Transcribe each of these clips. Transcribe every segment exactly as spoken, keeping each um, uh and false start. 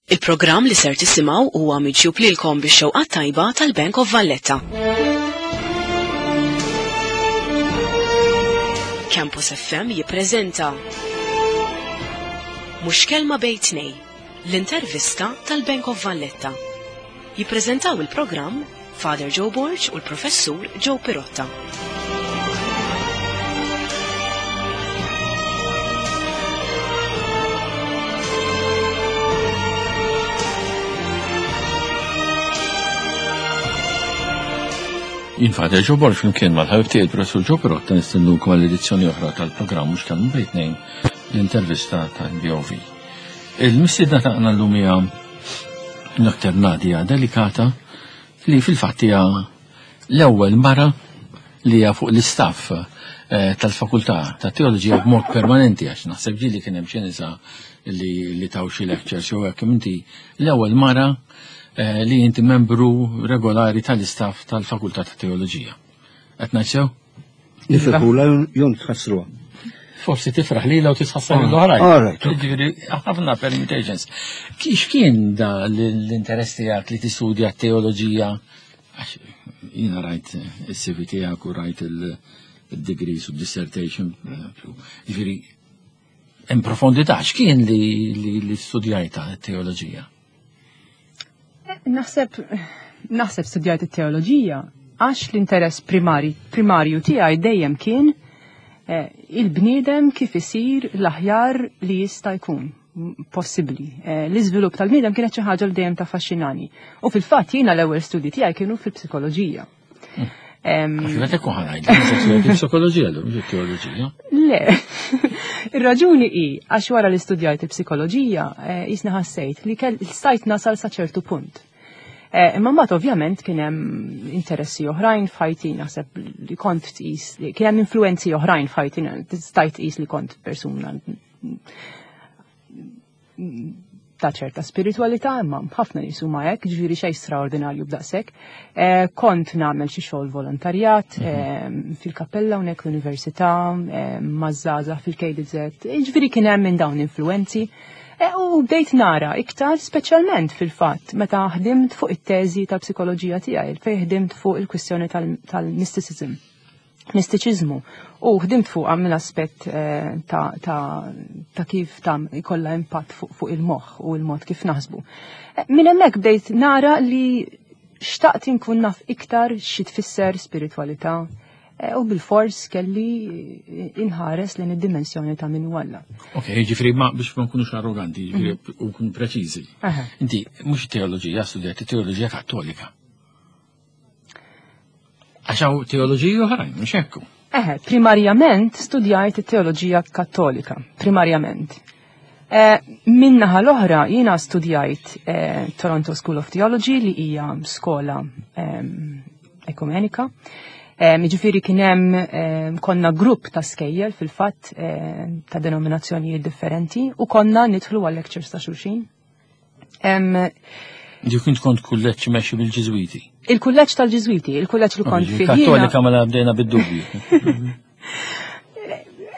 Il-programm li ser tisimgħu huwa miġjub lilkom bix-xewqa tajba tal-Bank of Valletta. Campus F M jippreżenta Mhux Kelma Bejn Tnejn, l-intervista tal-Bank of Valletta. Jippreżentaw il-programm Father Joe Borg u l-Professur Joe Pirotta. Jien Father Joe Borg, flimkien mal-ħabib tiegħi il-Professur Joe Pirotta, nistennukom għall edizzjoni oħra tal-programm Mhux Kelma Bejn Tnejn, l-intervista tal-B O V. Il-mistiedna tagħna llum hija Doctor Nadia Delicata, li fil-fatt hija l-ewwel mara li hija fuq l-istaff eh, tal-Fakultà ta' Teoloġija b'mod permanenti, għax naħseb ġieli kien hemm xi nisa li li taw xi lectures jew hekk. Inti l-ewwel mara eh, li inti membru regolari tal-istaff tal-Fakultà ta' Teoloġija. Qed ngħid sew? Nifirħula jew nitħassruha? Forsi tifraħ li u titħassar l-oħrajn. All right. Ġifieri, ħafna permutations. Kif kien da l-interess tiegħek li tistudja teoloġija? Għax jiena rajt il-C V tiegħek u rajt il-degrees u dissertation. Ġifieri, in profondità, x'kien li, li, li studjajta teoloġija? Naħseb naħseb studjajt it-teoloġija għax l-interess primari, primarju tiegħi dejjem kien eh, il-bniedem kif isir l-aħjar li jista' jkun possibbli. Eh, L-iżvilupp tal-bniedem kienet xi ħaġa li dejjem taffaxxinani. U fil-fatt jiena l-ewwel studji tiegħi kienu fil-psikoloġija. Em, Għax meta kun ħa ngħid, psikoloġija l mhux teoloġija. Le, ir-raġuni hi għax wara li studjajt il-psikoloġija, eh, jisna ħassejt li kell stajt nasal sa ċertu punt. Eh, Imma mbagħad ovvjament kien hemm interessi oħrajn f'ħajti, naħseb li kont tqis li kien hemm influenzi oħrajn f'ħajti, stajt tqis li kont persuna ta' ċerta spiritualità, imma ħafna nies huma hekk, ġifieri xejn straordinarju b'daqshekk. Eh, kont nagħmel xi xogħol volontarjat eh, fil-kappella hawnhekk l-università, eh, maż-żgħażagħ fil-K D Z, ġifieri kien hemm minn dawn influenzi. Eh, U bdejt nara iktar, speċjalment fil-fatt meta ħdimt fuq it-teżi ta' psikoloġija tiegħi, fejn ħdimt fuq il-kwistjoni tal-mysticism, mistiċiżmu, u ħdimt fuq mill-aspett eh, ta', ta, ta' kif ta' ikolla impatt fuq, fuq il-moħħ u il-mod kif naħsbu. Eh, Minn hemmhekk bdejt nara li xtaqt inkun naf iktar xi tfisser spiritualità eh, u bil-fors kelli inħares lejn id-dimensjoni ta' min hu Alla. Ok, ġifieri, ma biex ma nkunux arroganti, ġifieri u nkunu preċiżi. Aha. Inti mhux teoloġija studjat, teoloġija Kattolika. Għax hawn teoloġiji oħrajn, mhux hekk? Eħe, primarjament studjajt it-teoloġija Kattolika, primarjament. Eh, Min-naħa l-oħra jiena studjajt eh, Toronto School of Theology, li hija skola eh, ekumenika. Eh, Jiġifieri kien hemm eh, konna grupp ta' skejjel fil-fatt eh, ta' denominazzjonijiet differenti u konna nidħlu għal lectures ta' xulxin. Em, Ġi kint kont kulleġġ mexxi bil-Ġiżwiti. Il-kulleġġ tal-Ġiżwiti, il-kulleġġ li kont fih jiena- Kattolika mela bdejna bid-dubju.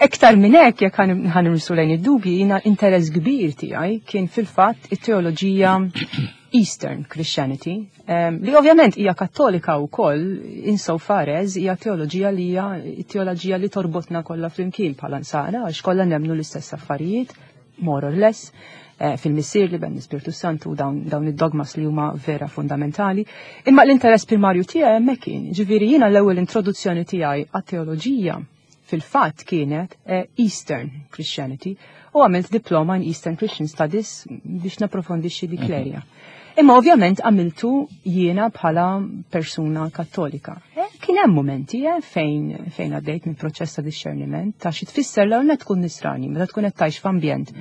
Iktar minn hekk, jekk ħa nirsu lejn id-dubji, jiena interess kbir tiegħi kien fil-fatt it-teoloġija Eastern Christianity, em, li ovvjament hija Kattolika wkoll insofar as hija teoloġija li hija teoloġija li torbotna kollha flimkien bħala nsara, għax kollha nemmnu l-istess affarijiet, more or less, eh, fil-Missier, l-Iben, l-Ispirtu Santu, dawn, dawn id-dogmas li huma vera fundamentali. Imma l-interess primarju tiegħi hemmhekk kien, ġifieri jiena l-ewwel introduzzjoni tiegħi għat-teoloġija fil-fatt kienet eh, Eastern Christianity u għamilt diploma in Eastern Christian Studies biex naprofondixxi dik l-area. Imma ovvjament għamiltu jiena bħala persuna Kattolika. Eh, Kien hemm momenti eh, fejn fejn għaddejt minn proċess ta' discerniment ta' xi tfisser l ewwel tkun nisrani, meta tkun qed tgħix f'ambjent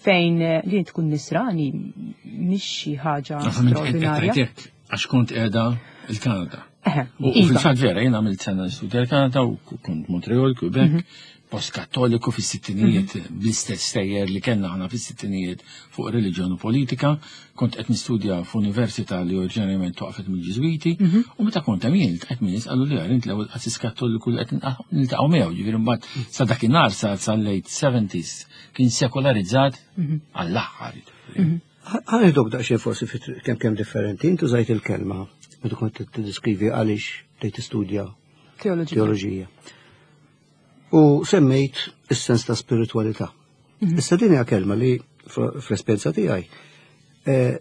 fejn eh, li tkun nisrani mhix xi ħaġa straordinarja. Għax kont qiegħda il-Kanada. Eħe, U iva. fil-fatt vera, jien għamilt sena nistudja l-Kanada u kont Montreal, Quebec, post-kattoliku fis-sittinijiet, bl-istess sejjer li kellna aħna fis-sittinijiet fuq reliġjon u politika. Kont qed nistudja f'università li oriġinarjament waqfet mill-Ġiżwiti, u meta kont hemm jien ltqajt min nies qalu li int l-ewwel qassis Kattoliku li qed niltaqgħu miegħu, ġifieri mbagħad sa dakinhar sa sa late seventies kien sekolarizzat għall-aħħar. Ħa nieħduk daqsxejn forsi kemm kemm differenti, intu użajt il-kelma meta kont tiddeskrivi għaliex tgħid tistudja teoloġija. U semmejt is-sens ta' spiritualità. Mhm. Issa din hija kelma li fl-esperjenza tiegħi eh,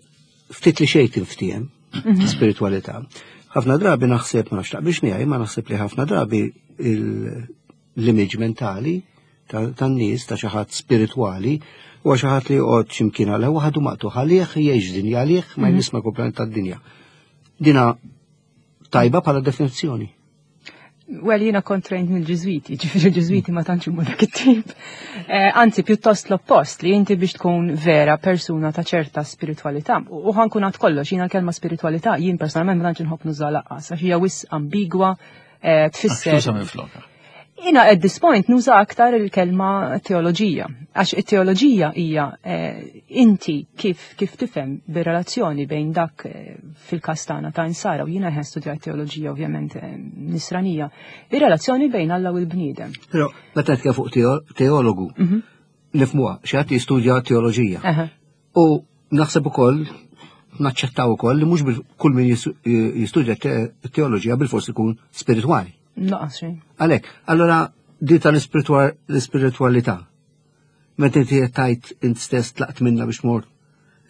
ftit li xejn tinftiehem mhm. spiritualità. Ħafna drabi naħseb, ma nafx taqbilx miegħi, ma naħseb li ħafna drabi l-image mentali tan-nies ta' xi ħadd spiritwali u xi ħadd li joqgħod x'imkien għal waħdu, maqtugħ għalih, jgħix dinja għalih, ma mhm. jmisma komplement tad-dinja. Dina tajba bħala definizzjoni? Well, jiena kont trained mill-Ġiżwiti, ġifieri ġiżwiti ma tantx huma dak it-tip. Eh, anzi, pjuttost l-oppost, li inti biex tkun vera persuna ta' ċerta spiritualità. U ħa nkun għad kollox, jiena l-kelma spiritualità, jien personalment ma tantx inħobb nuża lanqas, għax hija wisq ambigwa, eh, tfisser. Jiena at this point nuża aktar il-kelma teoloġija, għax it-teoloġija hija eh, inti kif kif tifhem bir-relazzjoni bejn dak eh, fil-każ tagħna ta' insara, u jiena ħen studjat teoloġija ovvjament eh, nisranija, ir-relazzjoni bejn Alla u l-bniedem. Però meta nitkellem fuq teologu, mhm. nifhmuha, xi ħadd jistudja teoloġija. U naħseb ukoll naċċettaw ukoll li mhux kull min jistudja teoloġija bil-fors ikun spiritwali. Lanqas xejn. Għalek, allora di tal-ispiritualità. Meta inti tajt int stess tlaqt minna biex mort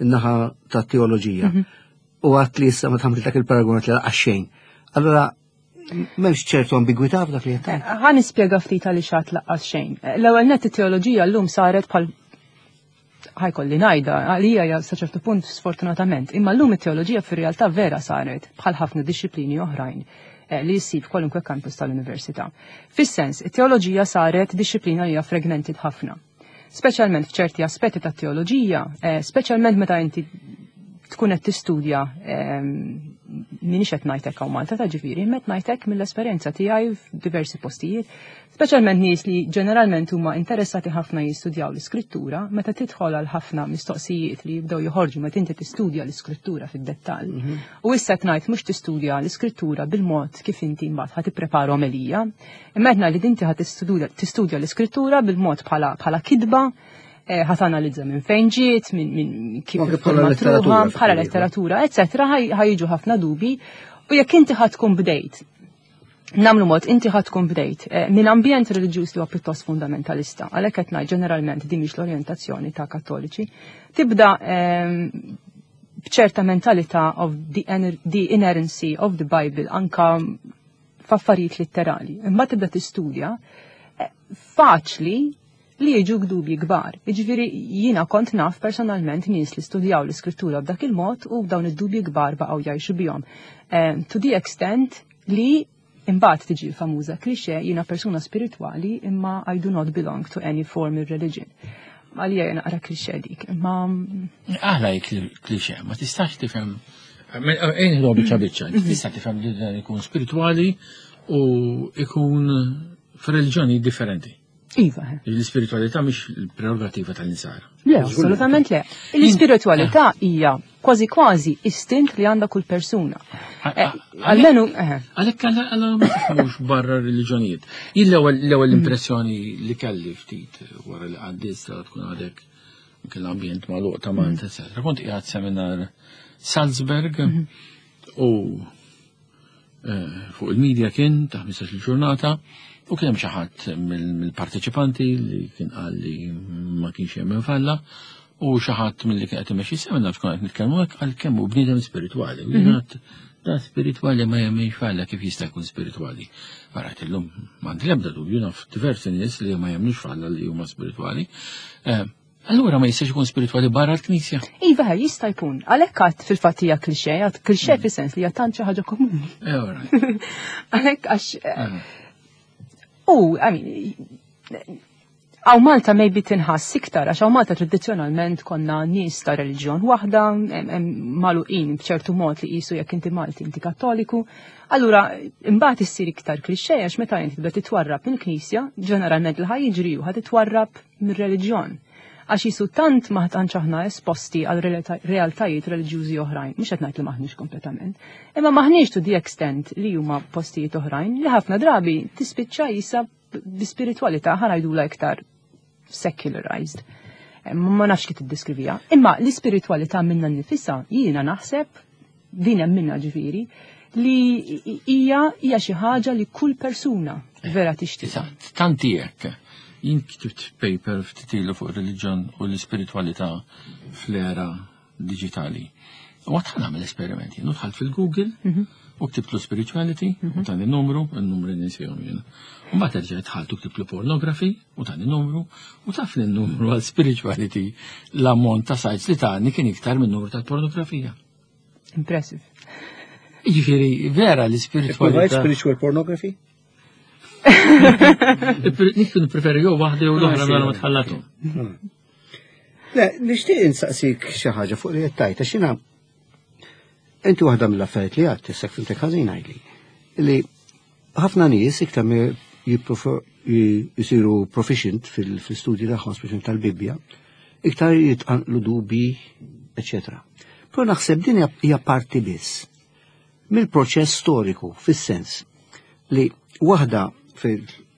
in-naħa ta' teoloġija. Mhm. U għat li issa ma tagħmel dak il-paragon li lanqas xejn. Allora m'hemmx ċertu ambigwità f'dak li qed. Ħa nispjega ftit għaliex għedt lanqas xejn. L-ewwel net, it-teoloġija llum saret bħal, ħa jkolli ngħidha, għalija ja sa ċertu punt sfortunatament, imma llum it-teoloġija fir-realtà vera saret bħal ħafna disċiplini oħrajn eh, li jissib kwalunkwe campus tal-università. Fis-sens, it-teoloġija saret disċiplina li hija fragmented ħafna. Speċjalment f'ċerti aspetti tat-teoloġija, eh, speċjalment meta inti tkun qed tistudja, ehm, minix qed ngħidlek hawn Malta ta' ġifieri, met ngħidlek mill-esperjenza tiegħi f'diversi postijiet, speċjalment nies li ġeneralment huma interessati ħafna jistudjaw l-iskrittura, meta tidħol għal ħafna mistoqsijiet li jibdew joħorġu meta inti tistudja l-iskrittura fid-dettall. Mhm. U issa qed ngħid mhux tistudja l-iskrittura bil-mod kif inti mbagħad ħa tipprepara omelija, imma qed ngħid li inti ħa tistudja l-iskrittura bil-mod bħala bħala kitba, eh, ħa tanalizza minn fejn ġiet, minn kif bħala letteratura, bħala letteratura, eccetera, ħa jiġu ħafna dubi. U jekk inti ħa tkun bdejt, nagħmlu mod, inti ħa tkun bdejt eh, minn ambjent reliġjuż li huwa pjuttost fundamentalista, għalhekk qed ngħid ġeneralment din mhix l-orjentazzjoni ta' Kattoliċi, tibda ehm, b'ċerta mentalità of the, the inerrancy of the Bible anka f'affarijiet litterali. Imma tibda tistudja, eh, faċli li jiġu dubji kbar. Jiġifieri jiena kont naf personalment nies li studjaw l-iskrittura b'dak il-mod u dawn id-dubji kbar baqgħu jgħixu bihom. Eh, to the extent li imbagħad tiġi l-famuża cliché, jiena persuna spiritwali imma I do not belong to any formal religion. Għalija jiena naqra cliché dik, imma Aħla cliché, ma tistax tifhem. Ejn ħdu biċċa biċċa, tista' tifhem li dan ikun spiritwali u ikun f'reliġjoni differenti. Iva. L-ispiritualità mhix il-prerogativa tal-insara. Le, assolutament le. L-ispiritualità hija kważi kważi istint li għandha kull persuna. Eh, almenu, eh. Għalhekk għalla ma tifhmux barra reliġjonijiet. Jien l-ewwel l-ewwel impressjoni li kelli ftit wara li għaddis tkun għadek kien l-ambjent magħluq ta' Malta, eccetera. Kont qiegħed seminar Salzburg u eh, fuq il-medja kien ta' ħmistax il-ġurnata u kien hemm xi ħadd mill-parteċipanti li kien qal li ma kienx jemmen f'Alla u xi ħadd milli kien qed imexxi seminar tkun qed nitkellmu hekk għal kemm hu bniedem spiritwali. U jiena da spiritwali ma jemmenx f'Alla, kif jista' jkun spiritwali? Barat illum m'għandi l-ebda dubju, naf diversi nies li ma jemmnux f'Alla li huma spiritwali. Eh, Allura ma jistax ikun spiritwali barra l-Knisja? Iva, jista' jkun. Għalhekk għedt fil-fatt hija cliché, għedt cliché fis-sens li hija tant xi ħaġa komuni. Eh, all right. Għalhekk għax eh, u, I mean, hawn Malta maybe tinħass iktar, għax hawn Malta tradizzjonalment konna nies ta' reliġjon waħda, magħluqin b'ċertu mod li qisu jekk inti Malti inti Kattoliku. Allura, imbagħad issir iktar cliché għax meta inti tibda titwarrab mill-Knisja, ġeneralment li ħa jiġri hu ħa titwarrab mir-reliġjon. Għax qisu tant ma tantx aħna esposti għal realtajiet reliġjużi oħrajn, mhux qed ngħid li maħniex kompletament, imma maħniex to the extent li huma postijiet oħrajn li ħafna drabi tispiċċa jisa bi spiritualità ħa ngħidula iktar secularized. Ma nafx kif tiddeskrivija. Imma l-ispiritualità minna nifisha jiena naħseb din hemm minna ġifieri li hija hija xi ħaġa li kull persuna vera tixtieq. Tanti hekk. Jien ktibt paper ftit ilu fuq reliġjon u l-ispiritualità fl-era digitali. U għedt ħa nagħmel esperimenti. Jien dħalt fil-Google u ktibtlu spirituality u tani numru, il-numru ninsihom jien. U mbagħad erġa' dħalt u ktibtlu pornography u tani numru u taf li n-numru għal spirituality l-ammont ta' sites li tani kien iktar minn numru tal-pornografija. Impressive. Jiġifieri vera l-ispiritualità. Spiritual pornography? Nikun preferi jew waħda jew l-oħra mela ma tħallathom. Le, nixtieq insaqsik xi ħaġa fuq li qed tgħid, għax jiena inti waħda mill-affarijiet li għedt, issa fhimtek ħażin għidli, li ħafna nies iktar jisiru proficient fil-studji tagħhom speċjalment tal-Bibbja, iktar jitqanqlu dubi, eċetera. Però naħseb din hija parti biss mill-proċess storiku, fis-sens li waħda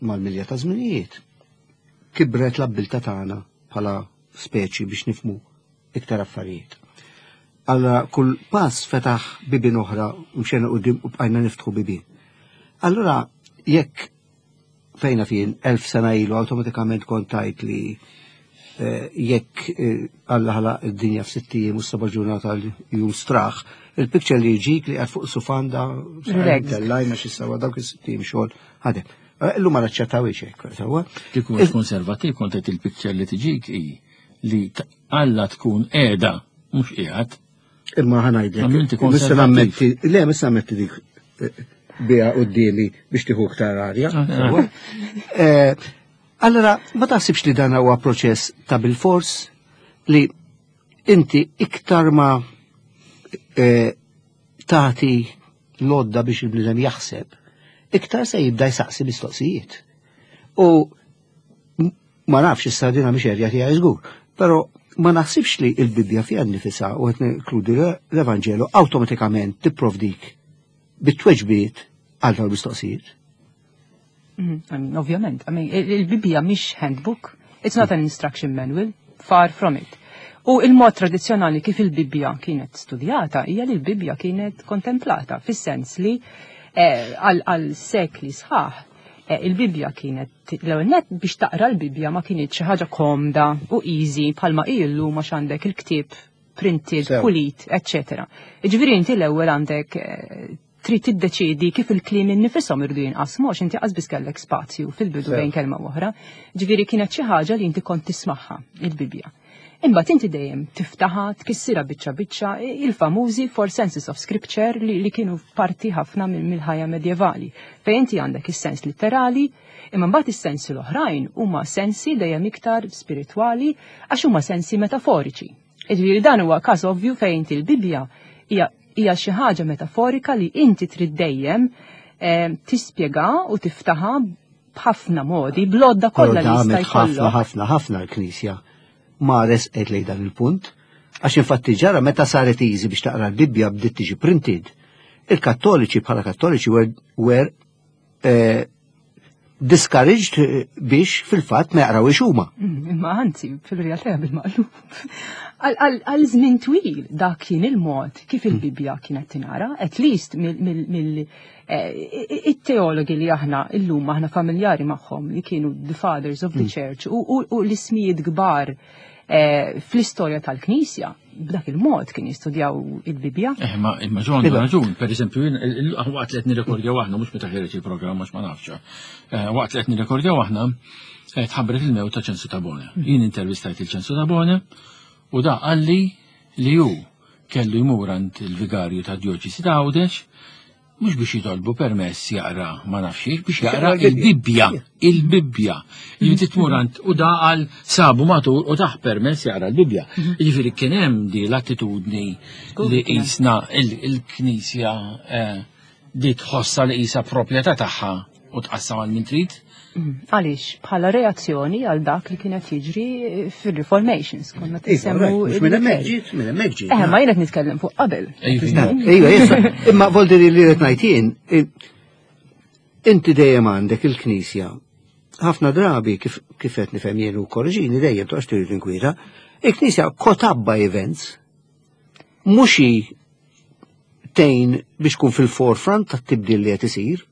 mal-milja ta' żminijiet kibret l-abbiltà tagħna bħala speċi biex nifhmu iktar affarijiet. Allora kull pass fetaħ bibin oħra u mxejna quddiem u bqajna niftħu bibin. Allora jekk fejna fien elf sena ilu awtomatikament kont tgħid li eh, jekk eh, Alla ħalaq id-dinja f'sitt ijiem u seba' ġurnata jum straħ, il-picture li jġik li qed fuq sufanda tellajna xi sewa dawk is-sitt ijiem xogħol ħadem. Eh, illum ma naċċettawx hekk, sewwa. Kieku mhux konservattiv kont qed il-picture li tiġik hi li Alla tkun qiegħda mhux qiegħed. Imma ħa ngħidlek. Missa nammetti, le missa nammetti dik biha quddiemi biex tieħu iktar arja. Allora, ma taħsibx li dan huwa proċess ta' bil-fors li inti iktar ma tagħti l-għodda biex il-bniedem jaħseb, iktar se jibda jsaqsi mistoqsijiet. U ma nafx issa dina mhix erja tiegħi żgur, però ma naħsibx li il-Bibbja fiha nnifisha u qed ninkludi l-Evanġelu awtomatikament tipprovdik bit-tweġbiet għal dawn mistoqsijiet. Mm, I mean, ovvjament, I mean, il-Bibbja mhix handbook, it's not an instruction manual, far from it. U il-mod tradizzjonali kif il-Bibbja kienet studjata hija li l-Bibbja kienet kontemplata, fis-sens li eh, għal sekli sħaħ eh, il-Bibbja kienet l-ewwel net biex taqra l-Bibbja ma kienet xi ħaġa komda u easy bħalma illu ma għandek il-ktieb printed, pulit, eccetera. Ġifieri inti l-ewwel għandek eh, trid tiddeċiedi kif il-kliem innifishom irdu jinqasmu għax inti qas kellek spazju fil-bidu bejn kelma oħra. Ġifieri kienet xi ħaġa li inti kont tismagħha il-Bibbja. Imbagħad inti dejjem tiftaħa, tkissira biċċa biċċa il-famużi four senses of scripture li, li kienu parti ħafna mill-ħajja medjevali. Fejn inti għandek is-sens literali, imma mbagħad is-sensi l-oħrajn huma sensi dejjem iktar spiritwali għax huma sensi metaforiċi. Ġifieri dan huwa każ ovvju fejn inti l-Bibbja hija hija xi ħaġa metaforika li inti trid dejjem eh, tispjega u tiftaħa b'ħafna modi, bl-għodda kollha li jista' ħafna ħafna ħafna l-Knisja ma resqet lejn dan il-punt, għax infatti ġara meta saret easy biex taqra l-Bibbja bdiet tiġi printed. Il-Kattoliċi bħala Kattoliċi were, were eh, discouraged biex fil-fatt ma jaqrawx huma. Mm, imma anzi, fil-realtà bil-maqlub. Għal żmien twil dak kien il-mod kif il-Bibbja kienet tinqara, at least mill eh, it-teologi li aħna illum aħna familjari magħhom li kienu the fathers of the mm. church u l-ismijiet kbar eh, fl-istorja tal-Knisja b'dak il-mod kien jistudjaw il-Bibbja. Eh, ma imma ġon raġun, per eżempju, waqt li qed nirrekordjaw aħna mhux meta ħareġ il-programm għax ma nafx. Eh, waqt li qed nirrekordjaw aħna tħabbret il-mewt ta' Ċensu Tabone. Jien intervistajt il-Ċensu Tabone u da qalli li hu kellu jmur għand il-vigarju ta' djoċesi ta' Għawdex mhux biex jitolbu permess jaqra ma nafx biex jaqra il-Bibbja, il-Bibbja. Jiġifieri tmur għand u da qal sabu matur u tah permess jaqra l-Bibbja. Jiġifieri kien hemm di l-attitudni li qisna il-Knisja eh, di tħossa li qisha proprjetà tagħha u tqassam għal min trid. Għaliex, bħala reazzjoni għal dak li kienet jiġri fil-Reformations, konna tisemmu. Mhux minn hemmhekk ġiet, minn hemmhekk ġiet. Eh, ma jien qed nitkellem fuq qabel. Ejja, issa, imma voldiri li qed ngħid jien, inti dejjem għandek il-Knisja Ħafna drabi kif kif qed nifhem jien u korreġini dejjem toqgħodx trid tinkwieta, il-Knisja caught up by events mhux hi tgħin biex tkun fil-forefront tat-tibdil li qed isir.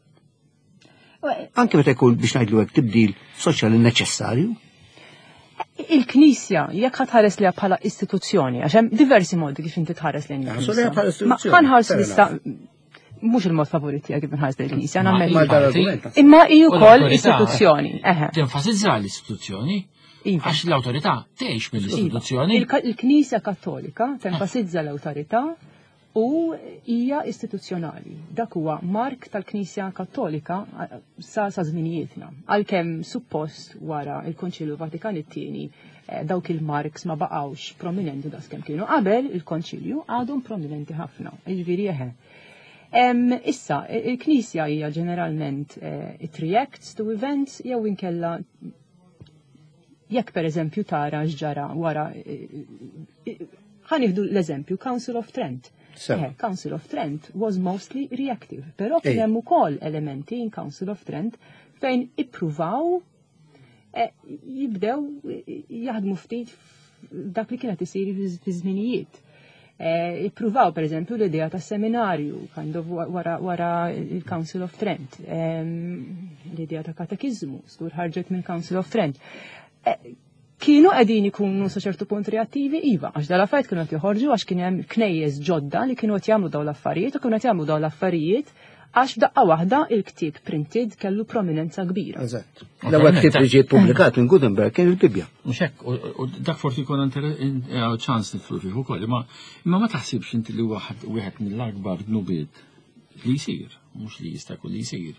Anke meta jkun biex ngħidlu hekk tibdil soċjali neċessarju. Il-Knisja, jekk ħa tħares lejha bħala istituzzjoni, għax hemm diversi modi kif inti tħares lejn Nħarsu lejha bħala Ma istituzzjoni, ħa nħarsu fair issa mhux il-mod favorit tiegħek kif nħares lejn il-Knisja, Ma- nagħmel Ma dal-argument. Imma hi U wkoll l-awtorità istituzzjoni. Eħe. Tenfasizza l-istituzzjoni, Iva. għax l-awtorità tgħix mill-istituzzjoni. Il- Il-Knisja Kattolika tenfasizza l-awtorità u hija istituzzjonali. Dak huwa mark tal-Knisja Kattolika eh, sa sa żminijietna. Għalkemm suppost wara il-Konċilju Vatikan it-tieni eh, dawk il-marks ma baqgħux prominenti daqskemm kienu qabel il-Konċilju għadhom prominenti ħafna. Jiġifieri eħe. Em, issa, il-Knisja hija ġeneralment eh, it reacts to events jew inkella jekk per eżempju tara x'ġara wara eh, eh, ħa nieħdu l-eżempju Council of Trent. Sew. Eh, Council of Trent was mostly reactive, però kien Ej. hemm ukoll elementi in Council of Trent fejn ippruvaw eh, jibdew eh, jaħdmu ftit dak li kienet isir fi żminijiet. Eh, Ippruvaw per eżempju l-idea ta' seminarju kind of wara, wara il-Council of Trent, Em, l-idea ta' katekizmu, stur ħarġet mill Council of Trent. Eh, Kienu qegħdin ikunu sa ċertu punt reattivi, iva, għax dal-affarijiet kienu qed joħorġu għax kien hemm knejjes ġodda li kienu qed jagħmlu dawn l-affarijiet u kienu qed jagħmlu dawn l-affarijiet għax f'daqqa waħda il-ktieb printed kellu prominenza kbira. Eżatt. L-ewwel ktieb li ġie ppubblikat minn Gutenberg kien il-Bibbja. Mhux hekk, u- u dak forsi jkun inter- in- eh, ċans nidħlu fih ukoll, imma imma ma taħsibx inti li waħed wieħed mill-akbar dnubiet li jsir, mhux li jista' jkun li jsir.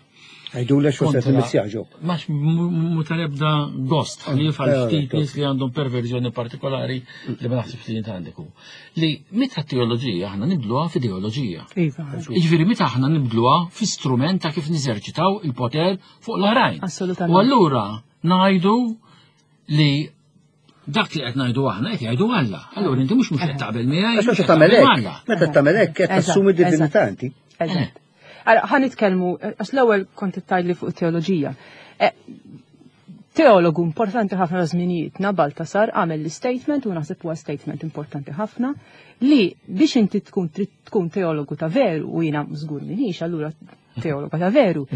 Għidu le xo se Kontra- timmissjaġu. Max mu tal-ebda gost, li għal eh, ftit eh, nies li għandhom perverżjoni partikolari li ma naħsibx li jint għandek hu. Li meta teoloġija aħna nibdluha f'ideoloġija. Iva. Jiġifieri meta aħna nibdluha fi strument ta' kif niżerċitaw il-poter fuq l-oħrajn. Assolutament. U allura ngħidu li dak li qed ngħidu aħna qed jgħidu Alla. Allura inti mhux mhux qed taqbel miegħi. Għax mhux meta qed tagħmel taqbel hekk, m'Alla. meta tagħmel hekk qed Eżatt, tassumi divinità inti. Eżatt. Allora, ħa nitkellmu, għax l-ewwel kont tgħidli fuq teoloġija. Eh, Teologu importanti ħafna żminijietna Baltasar għamel l-statement u naħseb huwa statement importanti ħafna li biex inti tkun trid tkun teologu ta' veru u jiena żgur minix allura teologa ta' veru.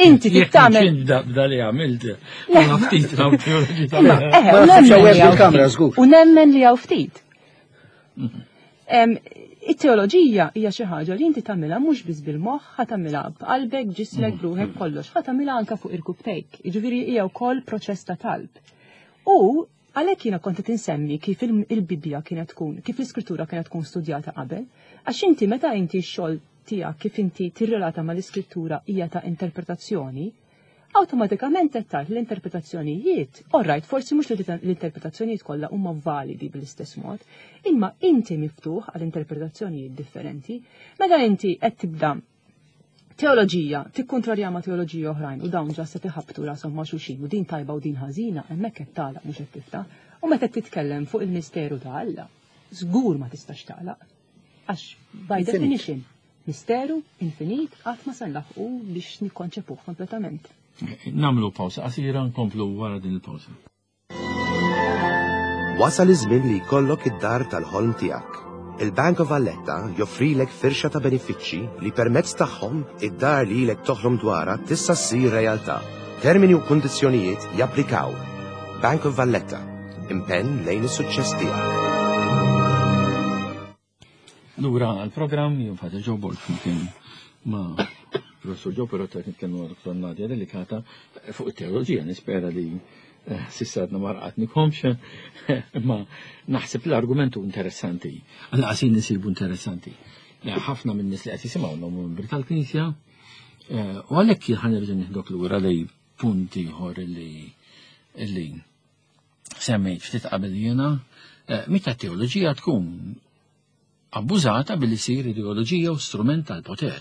Inti trid tagħmel Bda li għamilt. Ma ftit ta' teoloġija ta' Imma, veru. eħe, Ma u naħsibx nemmen hawnhekk li hawn bil-kamra, ftit. żgur. U nemmen li hawn ftit. Em, It-teoloġija hija xi ħaġa li inti tagħmilha mhux biss bil-moħħ, ħa tagħmilha b'qalbek, ġismek, ruħek, kollox, ħa tagħmilha anke fuq irkubtejk. Jiġifieri hija wkoll proċess ta' talb. U għalhekk jiena kont qed insemmi kif il- il-Bibbja kienet tkun, kif l-Iskrittura kienet tkun studjata qabel, għax inti meta inti x-xogħol tiegħek kif inti tirrelata mal-Iskrittura hija ta' interpretazzjoni, awtomatikament qed tgħid l-interpretazzjonijiet, alright, forsi mhux l-interpretazzjonijiet kollha huma validi bl-istess mod, imma inti miftuħ għal interpretazzjonijiet differenti, meta inti qed tibda teoloġija tikkontrarja ma' teoloġija oħrajn u dawn ġa se tiħabtu rashom ma' xulxin u din tajba u din ħażina, hemmhekk qed tagħlaq mhux qed tiftaħ. U meta titkellem fuq il-misteru ta' Alla, żgur ma tistax tagħlaq. Għax by Infinit. definition, misteru infinit qatt ma se nlaħqu biex nikkonċepuh kompletament. Nagħmlu pawsa qasira nkomplu wara din il-pawsa. Wasal iż-żmien li jkollok id-dar tal-ħolm tiegħek. Il-Bank of Valletta joffrilek firxa ta' benefiċċji li permezz tagħhom id-dar li ilek toħlom dwarha tista' ssir realtà. Termini u kundizzjonijiet japplikaw. Bank of Valletta, impenn lejn is-suċċess tiegħek. Lura għal-programm jien Father Joe Borg flimkien ma' Professor Joe Perrotta qed nitkellmu ma' Dottor Nadia Delicata fuq it-teoloġija nispera li eh, s'issa għadna ma raqadnikomx imma naħseb l-argumentu interessanti. Għal qasin nisibu interessanti. Eh, ħafna minn nies li qed jisimgħu membri tal-Knisja eh, u għalhekk ħa nerġa' nieħdok lura lej punt ieħor li illi semmejt ftit qabel jiena eh, meta teoloġija tkun abbużata billi sir ideoloġija u strument tal-poter.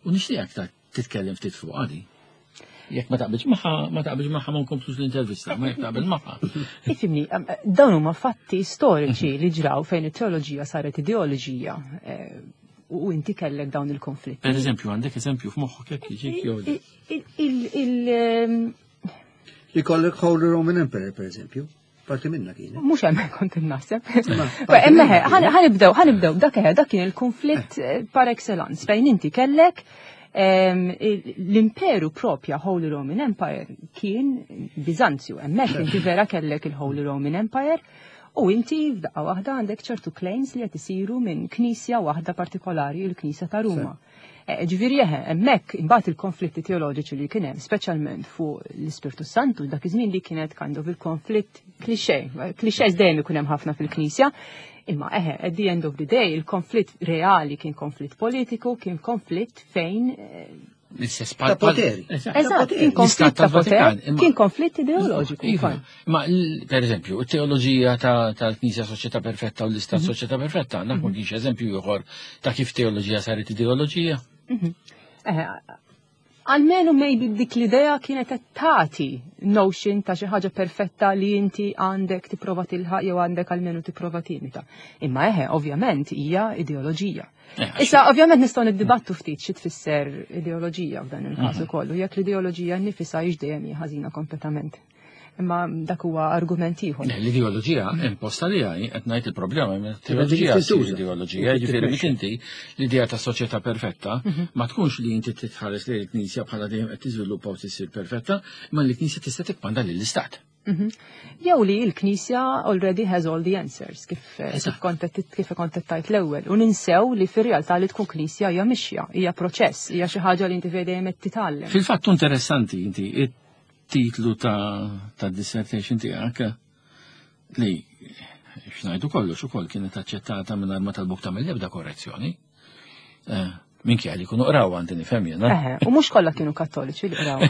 U nixtieq ta' titkellem ftit fuq għadi. Jekk ma taqbilx magħha, ma taqbilx magħha ma nkomplux l-intervista, ma jekk taqbel magħha. Ifhimni, em, dawn huma fatti storiċi li ġraw fejn it-teoloġija saret ideoloġija eh, u inti kellek dawn il-konflitti. Per eżempju, għandek eżempju f'moħħok jekk jiġik jew le. Il- il- il- ehm, Li kollek Holy Roman Emperor, per eżempju. Parti minna kienet. Mhux hemm kont naħseb. Imma ħa nibdew, ħa nibdew, dak dak kien il-konflitt par excellence fejn inti kellek l-imperu propja Holy Roman Empire kien Bizanzju, hemmhekk inti vera kellek il-Holy Roman Empire u inti f'daqqa waħda għandek ċertu claims li qed isiru minn knisja waħda partikolari, il-Knisja ta' Ruma. Ġifieri eħe, hemmhekk imbagħad il-konflitti teoloġiċi li kien hemm, speċjalment fuq l-Ispirtu Santu, dak iż-żmien li kienet kind of il-konflitt cliché, clichés dejjem ikun hemm ħafna fil-Knisja, imma eħe, at the end of the day, il-konflitt reali kien konflitt politiku, kien konflitt fejn Ta' poteri. Eżatt, kien konflitt ta' poter, kien konflitt ideoloġiku. Iva, ma per eżempju, teoloġija tal-Knisja Soċjetà Perfetta u l-Istat Soċjetà Perfetta, dak ma kienx eżempju ieħor ta' kif teoloġija saret ideoloġija. Almenu maybe dik l-idea kienet tagħti notion ta' xi ħaġa perfetta li inti għandek tipprova tilħaq jew għandek almenu tipprova timita. Imma eħe, ovvjament hija ideoloġija. Issa, ovvjament nistgħu niddibattu ftit xi tfisser ideoloġija f'dan il-każ ukoll, u jekk l-ideoloġija nnifisha hix dejjem hija ħażina kompletament. Imma dak huwa argument ieħor. L-ideoloġija imposta li għaj, qed ngħid il-problema, teoloġija ideoloġija, jiġifieri biex inti l-idea ta' soċjetà perfetta ma tkunx li inti titħares li l-Knisja bħala dejjem qed tiżviluppa u tisir perfetta, imma l-Knisja tista' tikkmanda lill-Istat. Jew li l-Knisja already has all the answers, kif kif kont kif kont tajt l-ewwel. U ninsew li fir-realtà li tkun Knisja hija mixja, hija proċess, hija xi ħaġa li inti dejjem qed titgħallem. Fil-fatt interessanti inti titlu ta', ta dissertation tiegħek li x'ngħidu kollox ukoll kienet aċċettata mingħajr ma talbuk tagħmel l-ebda korrezzjoni. Minkejja li jkunu qraw għandi nifhem jiena. Eħe, u mhux kollha kienu kattoliċi li qraw.